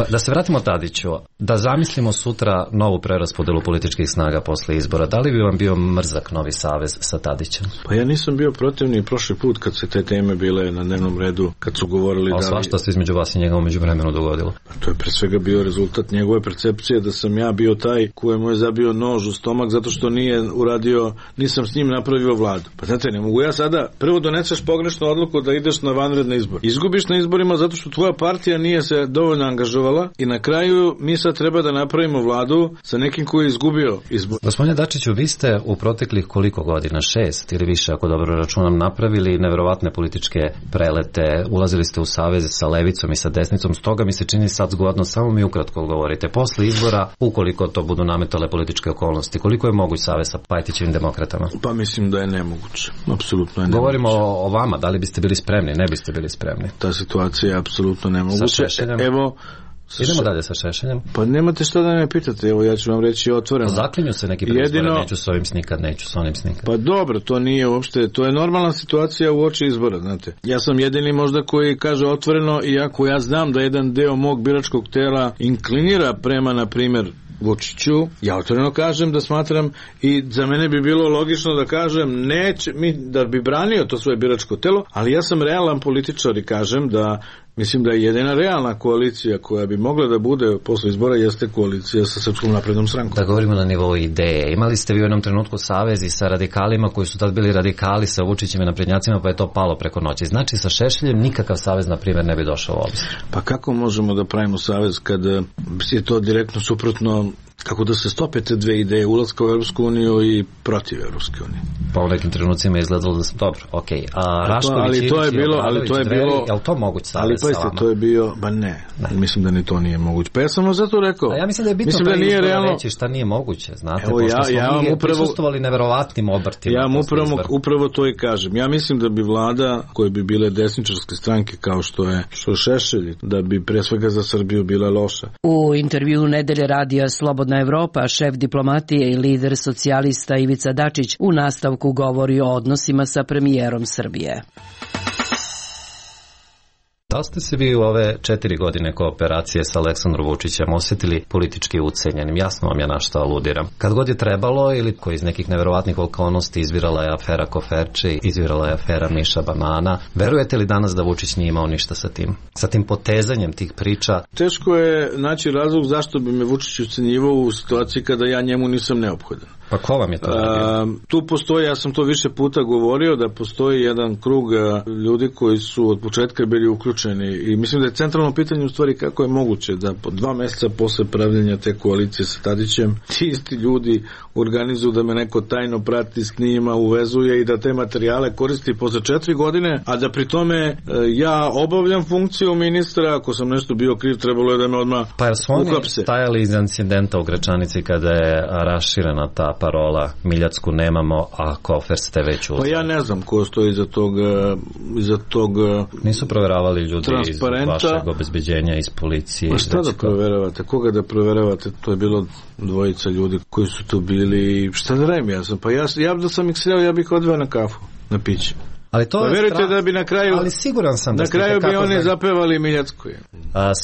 Da se vratimo Tadiću, da zamislimo sutra novu preraspodelu političkih snaga posle izbora, da li bi vam bio mrzak novi savez sa Tadićem? Pa ja nisam bio protivni prošli put kad se te teme bile na dnevnom redu, kad su govorili da svašta se između vas i njega umeđu vremenu dogodilo. Pa to je pre svega bio rezultat njegove percepcije da sam ja bio taj kojemu je zabio nož u stomak zato što nije uradio, nisam s njim napravio vladu. Pa znate, ne mogu ja sada, prvo doneseš pogrešnu odluku da ideš na vanredne izbor. Izgubiš na izborima zato što tvoja partija nije se dovoljno angažovala i na kraju mi sad treba da napravimo vladu sa nekim koji je izgubio izbor. Gospodine Dačiću, vi ste u proteklih koliko godina, 6 ili više, ako dobro računam, napravili neverovatne političke prelete, ulazili ste u saveze sa levicom i sa desnicom, stoga mi se čini sad zgodno, samo mi ukratko govorite. Posle izbora, ukoliko to budu nametale političke okolnosti, koliko je moguć savez sa Pajtićevim demokratama? Pa mislim da je nemoguće. Apsolutno je nemoguće. Govorimo o vama, da li biste bili spremni, ne biste bili spremni? Ta situacija je apsolutno nemoguća. Sa Šešeljem? Evo, idemo dalje sa Šešeljem. Pa nemate šta da me pitate, evo ja ću vam reći otvoreno. Zaklinju se neki predizbore, neću s ovim snikat, neću s onim snikat. Pa dobro, to nije uopšte, to je normalna situacija u oči izbora, znate. Ja sam jedini možda koji kaže otvoreno, iako ja znam da jedan deo mog biračkog tela inklinira prema, na primjer, Vučiću, ja otvoreno kažem da smatram i za mene bi bilo logično da kažem da bi branio to svoje biračko telo, ali ja sam realan političar i kažem da mislim da je jedina realna koalicija koja bi mogla da bude posle izbora jeste koalicija sa Srpskom naprednom strankom. Da govorimo na nivou ideje. Imali ste vi u jednom trenutku savez i sa radikalima koji su tad bili radikali sa Vučićem i naprednjacima, pa je to palo preko noći. Znači sa Šešeljem nikakav savez, na primjer, ne bi došao u obzir. Pa kako možemo da pravimo savez kad je to direktno suprotno, kako da se stope te dve ideje, ulaska u Europsku uniju i protiv Europske unije? Pa u nekim trenucima je izgledalo da sam dobro, okej. Ali to je bilo, je li to moguć savez sa vama? To je bio, ne, mislim da ni to nije moguće. Pa ja sam vam zato rekao. A ja mislim da je bitno da nije realno reći šta nije moguće, znate, evo, pošto smo mi prisustvovali neverovatnim obrtima. Ja vam upravo to i kažem. Ja mislim da bi vlada, koje bi bile desničarske stranke kao što je Šešelj, da bi pre svega za Srbiju bila loša. U intervju Nedelje radija Slobodna Evropa, šef diplomatije i lider socijalista Ivica Dačić u nastavku govori o odnosima sa premijerom Srbije. Da ste se vi u ove 4 godine kooperacije sa Aleksandrom Vučićem osjetili politički ucenjenim? Jasno vam je na što aludiram. Kad god je trebalo ili koji iz nekih neverovatnih okolnosti izvirala je afera Koferče, izvirala je afera Miša Banana. Verujete li danas da Vučić nije imao ništa sa tim? Sa tim potezanjem tih priča? Teško je naći razlog zašto bi me Vučić ucenjivao u situaciji kada ja njemu nisam neophodan. Pa ko vam je to radio? Tu postoji, ja sam to više puta govorio, da postoji jedan krug ljudi koji su od početka bili uključeni i mislim da je centralno pitanje u stvari kako je moguće da po 2 meseca posle pravljenja te koalicije sa Tadićem ti isti ljudi organizuju da me neko tajno prati, snima, uvezuje i da te materijale koristi posle 4 godine, a da pri tome ja obavljam funkciju ministra, ako sam nešto bio kriv, trebalo je da me odmah uhapse. Pa jer su oni stajali iz incidenta u Gračanici kada je raširena ta parola Miljacku nemamo, a kofer ste već uzeli. Pa ja ne znam ko stoji iza tog nisu proveravali ljudi iz vašeg obezbeđenja, iz policije. Pa šta da proveravate? Koga da proveravate? To je bilo 2 ljudi koji su tu bili. Šta da radim? Ja da sam ih sreo, ja bih odveo na kafu, na piće. Ali to verujte da bi na kraju, ali siguran sam da na kraju bi oni zapevali Miljacku.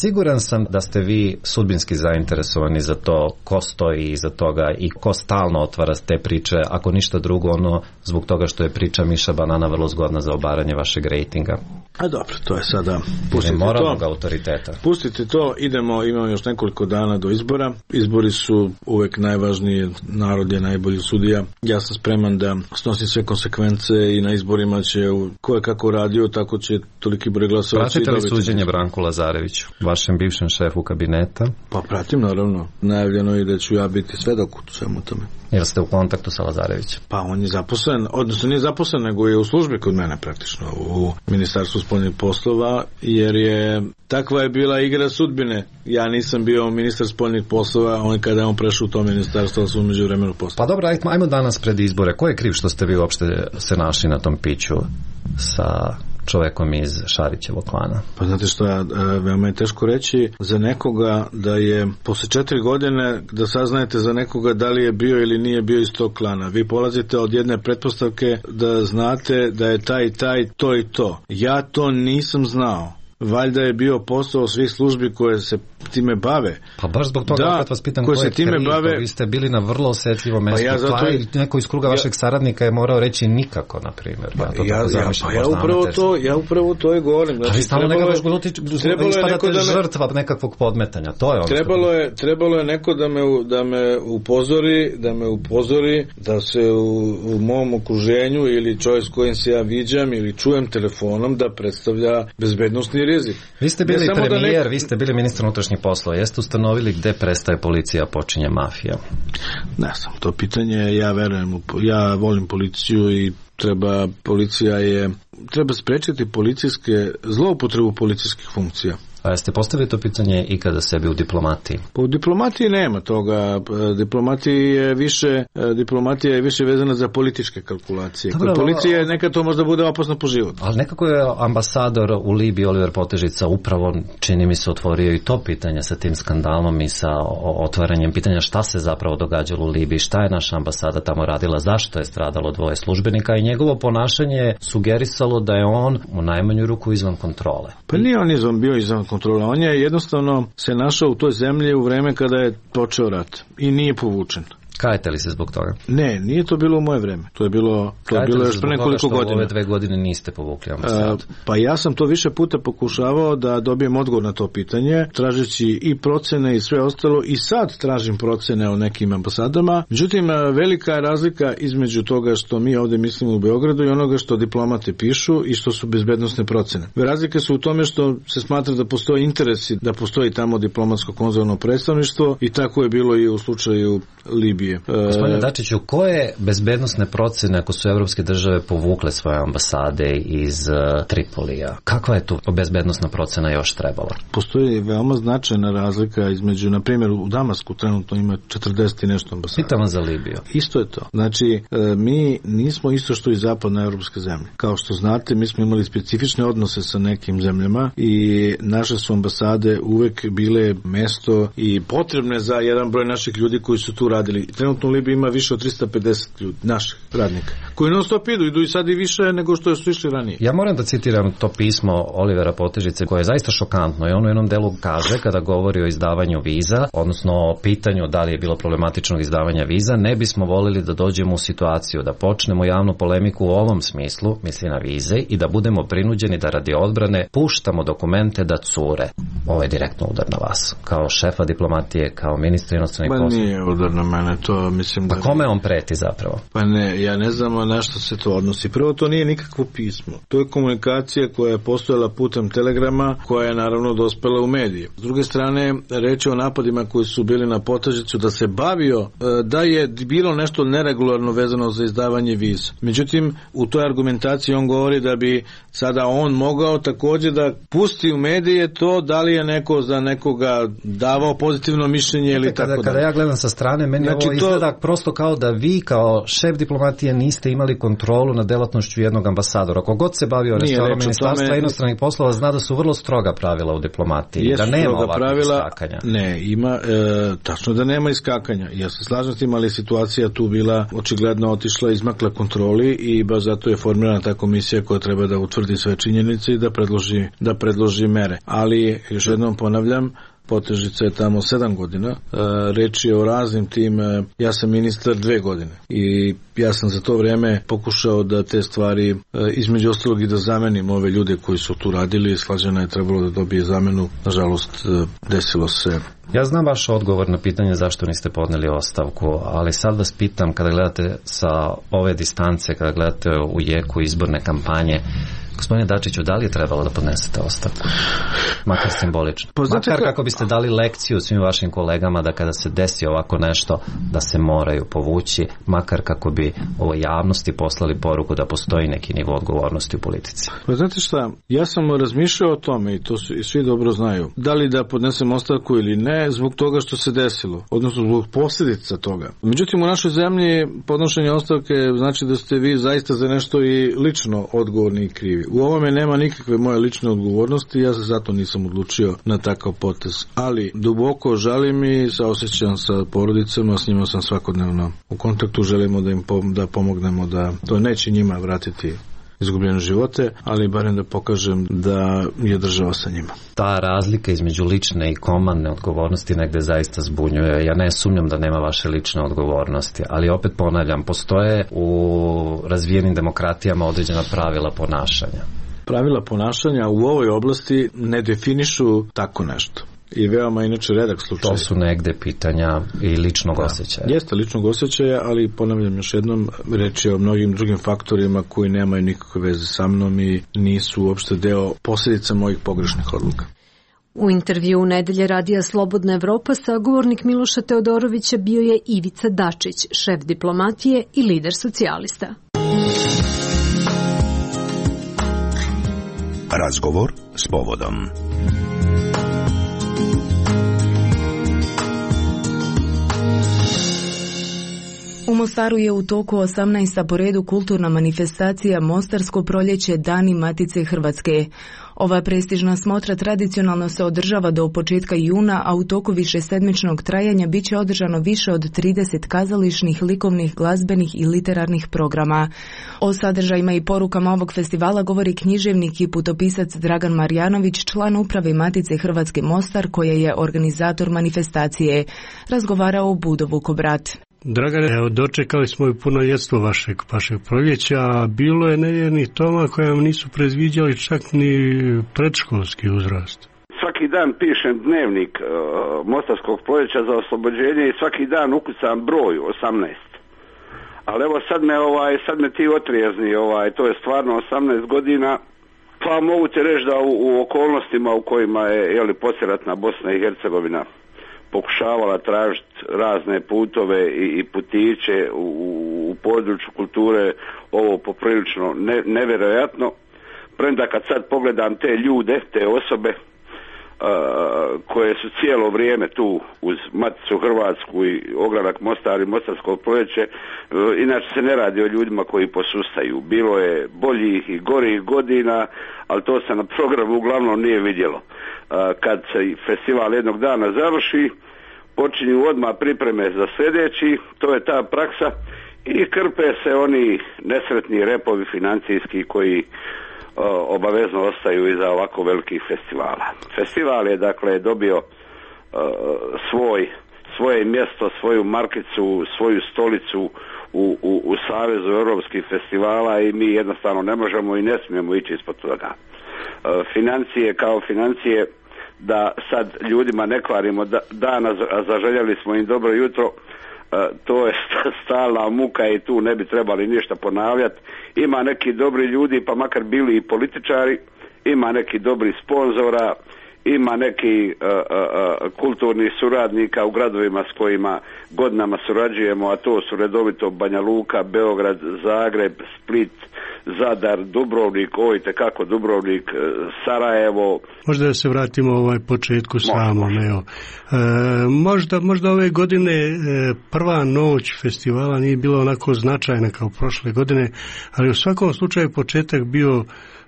Siguran sam da ste vi sudbinski zainteresovani za to ko stoji iza toga i ko stalno otvara te priče, ako ništa drugo ono zbog toga što je priča Miša Banana vrlo zgodna za obaranje vašeg rejtinga. A dobro, to je sada moralnog autoriteta. Pustite to, imamo još nekoliko dana do izbora. Izbori su uvek najvažniji, narod je najbolji sudija. Ja sam spreman da snosim sve konsekvence i na izborima će ko je kako radio, tako će toliki broj glasova. Pratite li suđenje Branku Lazareviću, vašem bivšem šefu kabineta? Pa pratim, naravno. Najavljeno je da ću ja biti svedok u svemu tome. Jel ste u kontaktu sa Lazarevićem? Pa on je zaposlen, odnosno nije zaposlen, nego je u službi kod mene praktično, u Ministarstvu spoljnih poslova, jer je takva je bila igra sudbine. Ja nisam bio ministar spoljnih poslova, on kada je on prešao u to ministarstvo, su umeđu vremenu poslova. Pa dobro, ajmo danas pred izbore. Ko je kriv što ste vi uopšte se našli na tom piću sa čovekom iz Šarićevog klana? Pa znate šta, veoma je teško reći za nekoga da je posle 4 godine da saznajete za nekoga da li je bio ili nije bio iz tog klana. Vi polazite od jedne pretpostavke da znate da je taj to i to. Ja to nisam znao. Valjda je bio posao svih službi koje se time bave. Pa baš zbog toga opet vas pitam ko je kriv, vi ste bili na vrlo osjetljivom mestu. Neko iz kruga vašeg saradnika je morao reći nikako, na primjer. Ja upravo to je govorim. Znači, stalno nekako ispadate žrtva nekakvog podmetanja. To je ono. Trebalo je neko da me upozori da se u mom okruženju ili čovjek s kojim se ja viđam ili čujem telefonom da predstavlja bezbednosni rizik. Vi ste bili premijer, vi ste bili ministar unutrašnjih poslova. Jeste ustanovili gde prestaje policija, počinje mafija? Ne znam, to pitanje, ja verujem, ja volim policiju i treba sprečiti zloupotrebu policijskih funkcija. A jeste postavili to pitanje i kada sebi u diplomatiji? Pa u diplomatiji nema toga. Diplomatija je više vezana za političke kalkulacije. Kod policije nekad to možda bude opasno po život. Ali nekako je ambasador u Libiji Oliver Potežica upravo, čini mi se, otvorio i to pitanje sa tim skandalom i sa otvaranjem pitanja šta se zapravo događalo u Libiji, šta je naša ambasada tamo radila, zašto je stradalo 2 službenika i njegovo ponašanje je sugerisalo da je on u najmanju ruku izvan kontrole. Pa nije on bio izvan kontrola. On je jednostavno se našao u toj zemlji u vreme kada je počeo rat i nije povučen. Kajete li se zbog toga? Ne, nije to bilo u moje vreme. To je bilo još pre nekoliko godina. Ove 2 godine niste povukli ambasadu? Pa ja sam to više puta pokušavao da dobijem odgovor na to pitanje, tražeći i procene i sve ostalo, i sad tražim procene o nekim ambasadama. Međutim, velika je razlika između toga što mi ovdje mislimo u Beogradu i onoga što diplomate pišu i što su bezbednosne procene. Razlike su u tome što se smatra da postoji interesi, da postoji tamo diplomatsko-konzularno predstavništvo, i tako je bilo i u slučaju Libije. Gospodine Dačiću, koje bezbednosne procene ako su evropske države povukle svoje ambasade iz Tripolija? Kakva je tu bezbednosna procena još trebala? Postoji veoma značajna razlika između, na primjer, u Damasku trenutno ima 40 i nešto ambasada. Pitamo za Libiju. Isto je to. Znači, mi nismo isto što i zapadna evropske zemlje. Kao što znate, mi smo imali specifične odnose sa nekim zemljama i naše su ambasade uvek bile mesto i potrebne za jedan broj naših ljudi koji su tu radili. Trenutno u Libiji ima više od 350 ljudi, naših radnika, koji non stop idu i sad i više nego što su išli ranije. Ja moram da citiram to pismo Olivera Potežice, koje je zaista šokantno, i on u jednom delu kaže, kada govori o izdavanju viza, odnosno o pitanju da li je bilo problematičnog izdavanja viza, ne bismo volili da dođemo u situaciju da počnemo javnu polemiku u ovom smislu, misli na vize, i da budemo prinuđeni da radi odbrane puštamo dokumente da cure. Ovo je direktno udar na vas, kao šefa diplomatije, kao ministra inostranih poslova. Pa nije udar na mene, to mislim da... Pa kome on preti zapravo? Pa ne, ja ne znam na što se to odnosi. Prvo, to nije nikakvo pismo. To je komunikacija koja je postojala putem telegrama, koja je naravno dospela u medije. S druge strane, reč je o napadima koji su bili na Potežicu da se bavio da je bilo nešto neregularno vezano za izdavanje viza. Međutim, u toj argumentaciji on govori da bi sada on mogao također da pusti u medije to da li je neko za nekoga davao pozitivno mišljenje ili tako da. Kada ja gledam sa strane, meni ovo izgleda prosto kao da vi kao šef diplomatije niste imali kontrolu nad delatnošću jednog ambasadora. Kogod se bavio resorom Ministarstva inostranih poslova zna da su vrlo stroga pravila u diplomatiji, da nema ovakvih iskakanja. Ne, ima, tačno da nema iskakanja. Ja se slažem s tim, ali situacija tu bila očigledno otišla, izmakla kontroli i baš zato je formirana ta komisija koja treba da utvrdi sve činjenice i da predloži mere. Ali, još jednom ponavljam, Potežica je tamo 7 godina, reč je o raznim tim, ja sam ministar 2 godine i ja sam za to vrijeme pokušao da te stvari, između ostalog i da zamenim ove ljude koji su tu radili, Slađana je trebalo da dobije zamenu, nažalost desilo se. Ja znam vaš odgovor na pitanje zašto niste podneli ostavku, ali sad vas pitam, kada gledate sa ove distance, kada gledate u jeku izborne kampanje, gospodine Dačiću, da li je trebalo da podnesete ostavku? Makar simbolično. Makar kako biste dali lekciju svim vašim kolegama da kada se desi ovako nešto, da se moraju povući, makar kako bi ovoj javnosti poslali poruku da postoji neki nivo odgovornosti u politici. Pa znate šta, ja sam razmišljao o tome i to i svi dobro znaju. Da li da podnesem ostavku ili ne, zbog toga što se desilo, odnosno zbog posljedica toga. Međutim, u našoj zemlji podnošenje ostavke znači da ste vi zaista za nešto i lično odgovorni i krivi. U ovome nema nikakve moje lične odgovornosti, ja se zato nisam odlučio na takav potez. Ali duboko žalim i saosećam sa porodicama, s njima sam svakodnevno u kontaktu, želimo da im da pomognemo, da to neće njima vratiti izgubljene živote, ali barem da pokažem da je država sa njima. Ta razlika između lične i komandne odgovornosti negde zaista zbunjuje. Ja ne sumnjam da nema vaše lične odgovornosti, ali opet ponavljam, postoje u razvijenim demokratijama određena pravila ponašanja. Pravila ponašanja u ovoj oblasti ne definišu tako nešto. I veoma inače redak slučaj. To su negde pitanja i ličnog osjećaja. Jeste ličnog osjećaja, ali ponavljam još jednom, reč je o mnogim drugim faktorima koji nemaju nikakve veze sa mnom i nisu uopšte deo posljedica mojih pogrešnih odluka. U intervju Nedelje radija Slobodna Evropa sagovornik Miloša Teodorovića bio je Ivica Dačić, šef diplomatije i lider socijalista. Razgovor s povodom. U Mostaru je u toku 18. po redu kulturna manifestacija Mostarsko proljeće Dani Matice Hrvatske. Ova prestižna smotra tradicionalno se održava do početka juna, a u toku višesedmičnog trajanja bit će održano više od 30 kazališnih, likovnih, glazbenih i literarnih programa. O sadržajima i porukama ovog festivala govori književnik i putopisac Dragan Marjanović, član uprave Matice Hrvatske Mostar, koja je organizator manifestacije. Razgovarao o Budo Vukobrat. Dragane, dočekali smo i puno jedstvo vašeg proljeća, a bilo je nevjernih toma koje vam nisu predviđali čak ni predškolski uzrast. Svaki dan pišem dnevnik Mostarskog proljeća za oslobođenje i svaki dan ukucam broj 18. Ali evo sad me ti otrijezni, to je stvarno 18 godina. Pa mogu ti reći da u okolnostima u kojima je poslijeratna Bosna i Hercegovina pokušavala tražiti razne putove i putiće u području kulture, ovo poprilično nevjerojatno. Premda kad sad pogledam te ljude, te osobe koje su cijelo vrijeme tu uz Maticu Hrvatsku i ogranak Mostar i Mostarsko proljeće, inače se ne radi o ljudima koji posustaju. Bilo je boljih i gorih godina, ali to se na programu uglavnom nije vidjelo. Kad se festival jednog dana završi, počinju odmah pripreme za sljedeći, to je ta praksa, i krpe se oni nesretni repovi financijski koji obavezno ostaju iza ovako velikih festivala. Festival je dakle dobio svoje mjesto, svoju markicu, svoju stolicu u Savezu europskih festivala i mi jednostavno ne možemo i ne smijemo ići ispod toga. Financije kao financije, da sad ljudima ne kvarimo dana, a zaželjeli smo im dobro jutro, to je stalna muka i tu ne bi trebali ništa ponavljati. Ima neki dobri ljudi, pa makar bili i političari, ima neki dobri sponzora, ima neki kulturnih suradnika u gradovima s kojima godinama surađujemo, a to su redovito Banja Luka, Beograd, Zagreb, Split, Zadar, Dubrovnik, itekako Dubrovnik, Sarajevo. Možda da se vratimo početku samom. Možda ove godine prva noć festivala nije bila onako značajna kao prošle godine, ali u svakom slučaju početak bio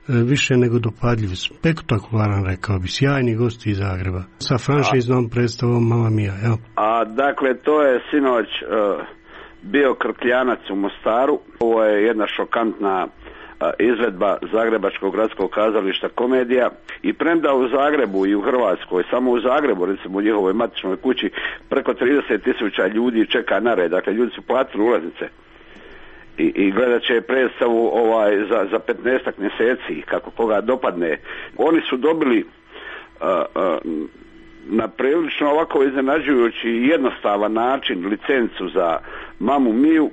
više nego dopadljiv, spektakularan, rekao bi, sjajni gosti iz Zagreba sa franšiznom predstavom Mamma Mia. Dakle, to je sinoć bio Krkljanac u Mostaru. Ovo je jedna šokantna izvedba Zagrebačkog gradskog kazališta Komedija, i premda u Zagrebu i u Hrvatskoj, samo u Zagrebu, recimo u njihovoj matičnoj kući, preko 30.000 ljudi čeka na red. Dakle, ljudi su platili ulaznice i gledat će predstavu za 15 mjeseci, kako koga dopadne. Oni su dobili na prilično ovako iznenađujući i jednostavan način licencu za Mamu Miju.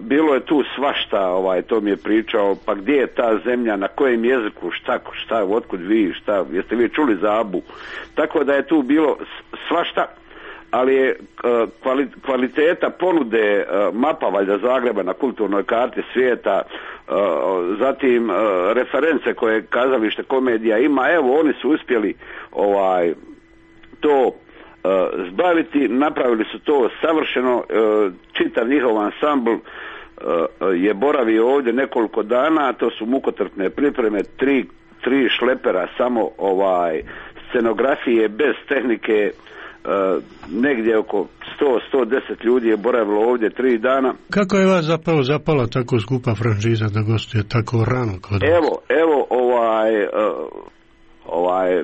Bilo je tu svašta, to mi je pričao, pa gdje je ta zemlja, na kojem jeziku, šta, otkud vi, šta, jeste vi čuli za Abu. Tako da je tu bilo svašta, ali je kvaliteta ponude mapa valjda Zagreba na kulturnoj karti svijeta, zatim reference koje kazalište Komedija ima, evo oni su uspjeli to zbaviti, napravili su to savršeno, čitav njihov ansambl je boravio ovdje nekoliko dana, to su mukotrpne pripreme, tri šlepera, samo scenografije bez tehnike, negdje oko 100-110 ljudi je boravilo ovdje 3 dana. Kako je vas zapravo zapala tako skupa franšiza da gostuje tako rano kod vas? Evo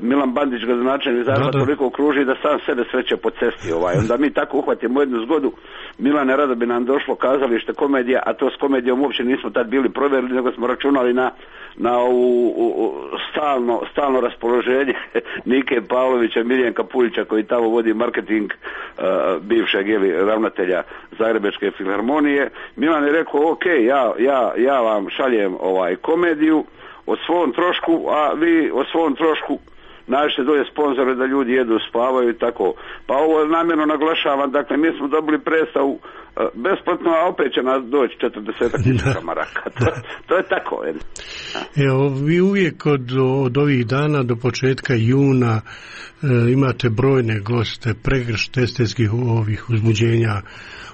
Milan Bandić, gradonačelnik Zagreba, toliko kruži da sam sebe sreće po cesti. Onda mi tako uhvatimo jednu zgodu. Milane, rado bi nam došlo kazalište Komedija, a to s Komedijom uopće nismo tad bili provjerili, nego smo računali na stalno raspoloženje Nike Pavlovića, Miljenka Puljića, koji tamo vodi marketing bivšeg ravnatelja Zagrebačke filharmonije. Milan je rekao, ok, ja vam šaljem Komediju o svom trošku, a vi o svom trošku nađete dolje sponzore da ljudi jedu, spavaju i tako. Pa ovo namjerno naglašavam, dakle mi smo dobili predstavu besplatno, a opet će nas doći 40.000 maraka. To je tako. Evo, vi uvijek od ovih dana do početka juna imate brojne goste, pregršt estetskih uzbuđenja.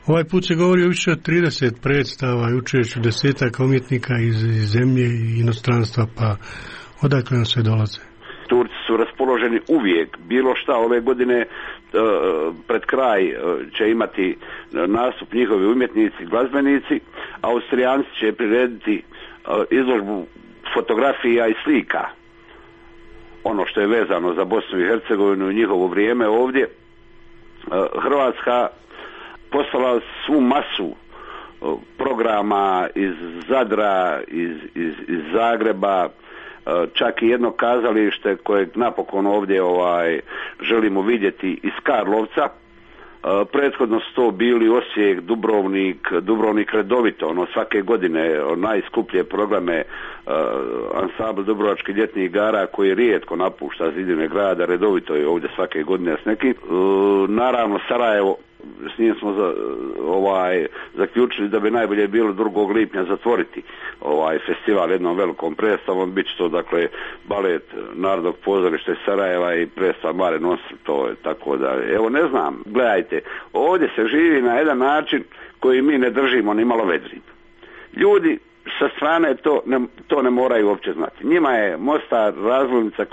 Ovaj put se govori o više od 30 predstava i učešću 10 umjetnika iz zemlje i inostranstva, pa odakle nam sve dolaze? Turci su raspoloženi uvijek, bilo šta. Ove godine pred kraj će imati nastup njihovi umjetnici, glazbenici. Austrijanci će prirediti izložbu fotografija i slika, ono što je vezano za Bosnu i Hercegovinu i njihovo vrijeme ovdje. Hrvatska poslala svu masu programa iz Zadra, iz Zagreba, čak i jedno kazalište kojeg napokon ovdje želimo vidjeti iz Karlovca. Prethodno su to bili Osijek, Dubrovnik redovito, svake godine najskuplje programe, ansambl Dubrovačkih ljetnih igara koji rijetko napušta zidine grada, redovito je ovdje svake godine s nekim. Naravno Sarajevo, s njim smo zaključili da bi najbolje bilo 2. lipnja zatvoriti festival jednom velikom predstavom. Bit će to dakle balet Narodnog pozorišta iz Sarajeva i predstav Mare Nostrum, to je tako da, evo ne znam, gledajte, ovdje se živi na jedan način koji mi ne držimo ni malo vedrim. Ljudi sa strane to ne moraju uopće znati. Njima je Mostar razglednica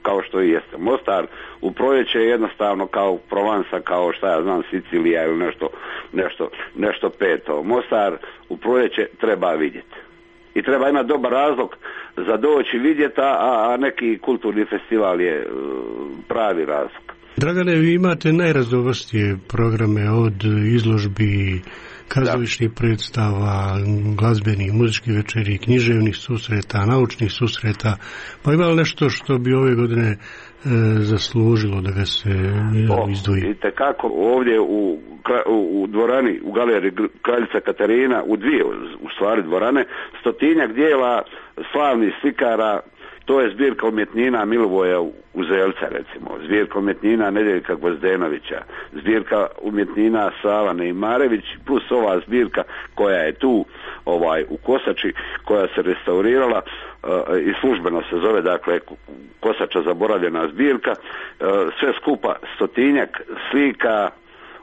kao što i jeste. Mostar u proljeće je jednostavno kao Provansa, kao Sicilija ili nešto peto. Mostar u proljeće treba vidjeti. I treba imati dobar razlog za doći vidjeti, a neki kulturni festival je pravi razlog. Dragane, vi imate najraznovrsnije programe od izložbi, kazališnih predstava, glazbenih, muzičkih večeri, književnih susreta, naučnih susreta. Pa ima li nešto što bi ove godine zaslužilo da ga se izdvoji? Vidite kako ovdje u dvorani, u galeriji Kraljica Katarina, u dvije u stvari dvorane, 100-tinjak dijela slavnih slikara, To je zbirka umjetnina Milivoja Uzelca, recimo, zbirka umjetnina Nedeljka Gvozdenovića, zbirka umjetnina Sava Neimarević, plus ova zbirka koja je tu u Kosači, koja se restaurirala i službeno se zove, dakle, Kosača zaboravljena zbirka, sve skupa 100-tinjak slika,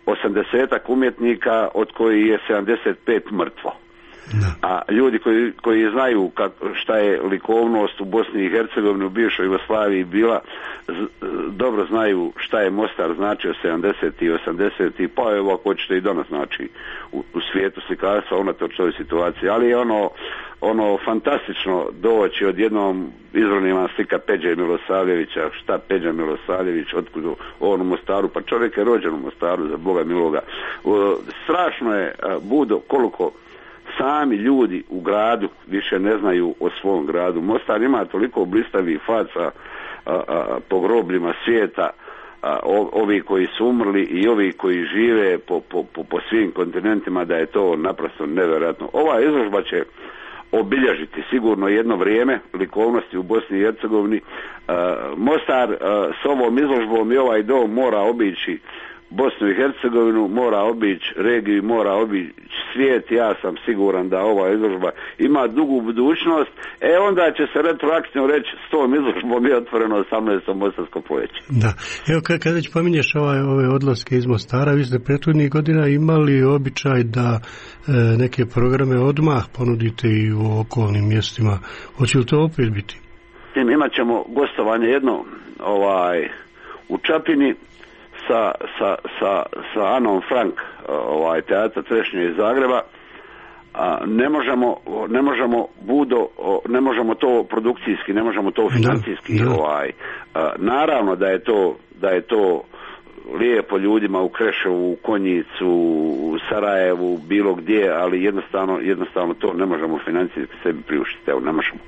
80-ak umjetnika, od kojih je 75 mrtvo. A ljudi koji znaju šta je likovnost u Bosni i Hercegovini, u bivšoj Jugoslaviji bila, dobro znaju šta je Mostar značio 70. i 80. pa evo ako hoćete i danas znači u svijetu slikarstva unatoč toj situaciji, ali je ono fantastično doći odjednom izvorni vam slika Peđe Milosavljevića, šta Peđa Milosavljević, otkud on u Mostaru, pa čovjek je rođen u Mostaru, za Boga miloga. Strašno je, Budo, koliko sami ljudi u gradu više ne znaju o svom gradu. Mostar ima toliko blistavih faca po grobljima svijeta, ovi koji su umrli i ovi koji žive po svim kontinentima, da je to naprosto nevjerojatno. Ova izložba će obilježiti sigurno jedno vrijeme likovnosti u Bosni i Hercegovini. Mostar s ovom izložbom i ovaj dom mora obići Bosnu i Hercegovinu, mora obići regiju, mora obići svijet. Ja sam siguran da ova izložba ima dugu budućnost. Onda će se retroaktivno reći s tom izložbom je otvoreno 18. Mostarsko proljeće. Da. Evo kada već pominješ ove odlaske iz Mostara, vi ste prethodnih godina imali običaj da neke programe odmah ponudite i u okolnim mjestima. Hoće li to opet biti? Imat ćemo gostovanje jedno u Čapini sa Anom Frank, teatra Trešnje iz Zagreba. Ne možemo Budo, ne možemo to produkcijski, ne možemo to financijski. Naravno da je to lijepo ljudima u Kreševu, u Konjicu, u Sarajevu, bilo gdje, ali jednostavno to ne možemo financijski sebi priuštiti. Evo, ne možemo.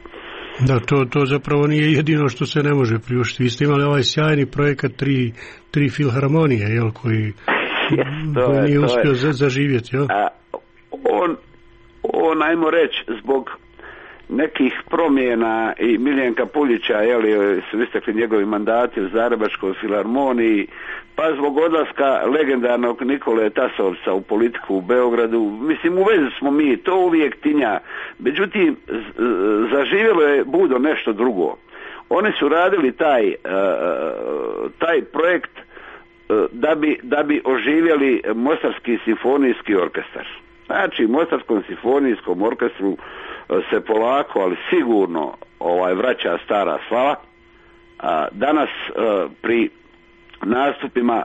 Da, to zapravo nije jedino što se ne može priuštiti. Vi ste imali ovaj sjajni projekat tri filharmonije, jel, koji nije uspio zaživjeti, jel? On, ajmo reći, zbog nekih promjena i Miljenka Puljića, jel, su istekli njegovi mandati u Zagrebačkoj filharmoniji, pa zbog odlaska legendarnog Nikole Tasovca u politiku u Beogradu. Mislim, u vezi smo mi, to uvijek tinja. Međutim, zaživjelo je Budo nešto drugo. Oni su radili taj projekt da bi oživjeli Mostarski simfonijski orkestar. Znači, Mostarskom simfonijskom orkestru se polako, ali sigurno vraća stara slava. Danas pri nastupima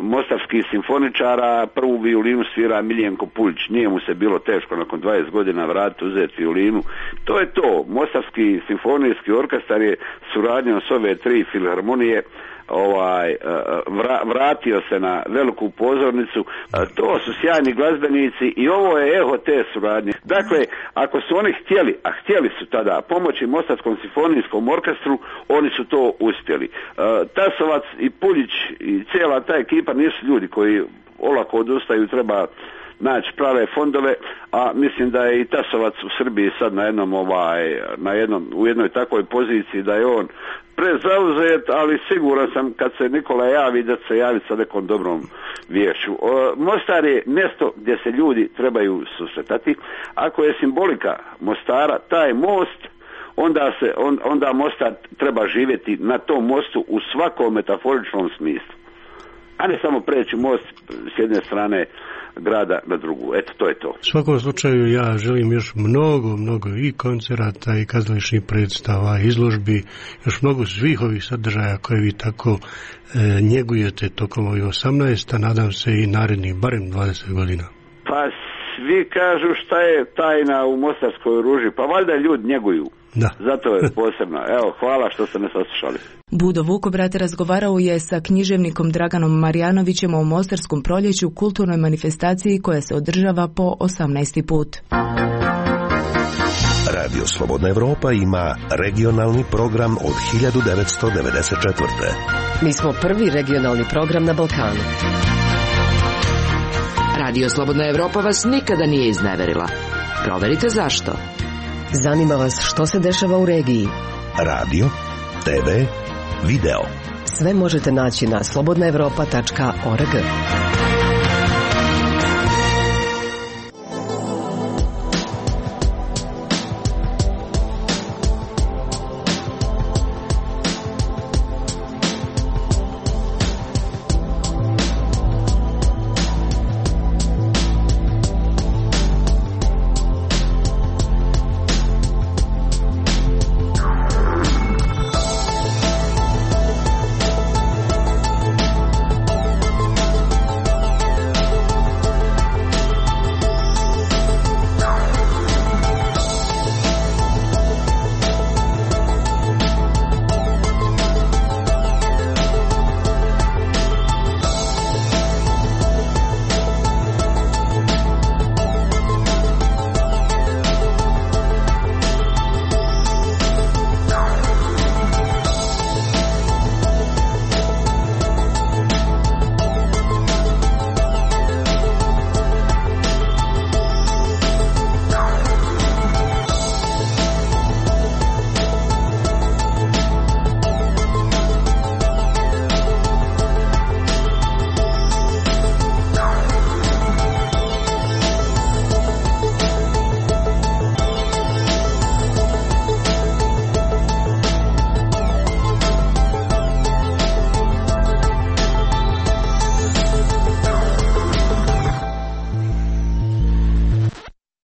mostarskih simfoničara prvu violinu svira Miljenko Puljić. Nije mu se bilo teško nakon 20 godina vratiti, uzeti violinu. To je to. Mostarski simfonijski orkestar je suradnjom s ove tri filharmonije vratio se na veliku pozornicu. To su sjajni glazbenici i ovo je eho te suradnje. Dakle, ako su oni htjeli, a htjeli su tada pomoći Mostarskom simfonijskom orkestru, oni su to uspjeli. Tasovac i Puljić i cijela ta ekipa nisu ljudi koji olako odustaju, treba naći prave fondove, a mislim da je i Tasovac u Srbiji sad u jednoj takvoj poziciji da je on prezauzet, ali siguran sam kad se Nikola javi da se javi sa nekom dobrom vješću. Mostar je mjesto gdje se ljudi trebaju susretati. Ako je simbolika Mostara taj most, onda Mostar treba živjeti na tom mostu u svakom metaforičnom smislu, a ne samo preći most s jedne strane grada na drugu. Eto, to je to. U svakom slučaju ja želim još mnogo i koncerata i kazališnih predstava, izložbi, još mnogo svih ovih sadržaja koje vi tako njegujete tokom ovih 18, a nadam se i narednih barem 20 godina. Pa svi kažu šta je tajna u Mostarskoj ruži, pa valjda ljudi njeguju. Da. Zato je posebno. Evo, hvala što ste me saslušali. Budo Vukobrat razgovarao je sa književnikom Draganom Marjanovićem o Mostarskom proljeću, kulturnoj manifestaciji koja se održava po 18. put. Radio Slobodna Evropa ima regionalni program od 1994. Mi smo prvi regionalni program na Balkanu. Radio Slobodna Evropa vas nikada nije izneverila. Proverite zašto. Zanima vas što se dešava u regiji? radio, TV, video. Sve možete naći na slobodnaevropa.org.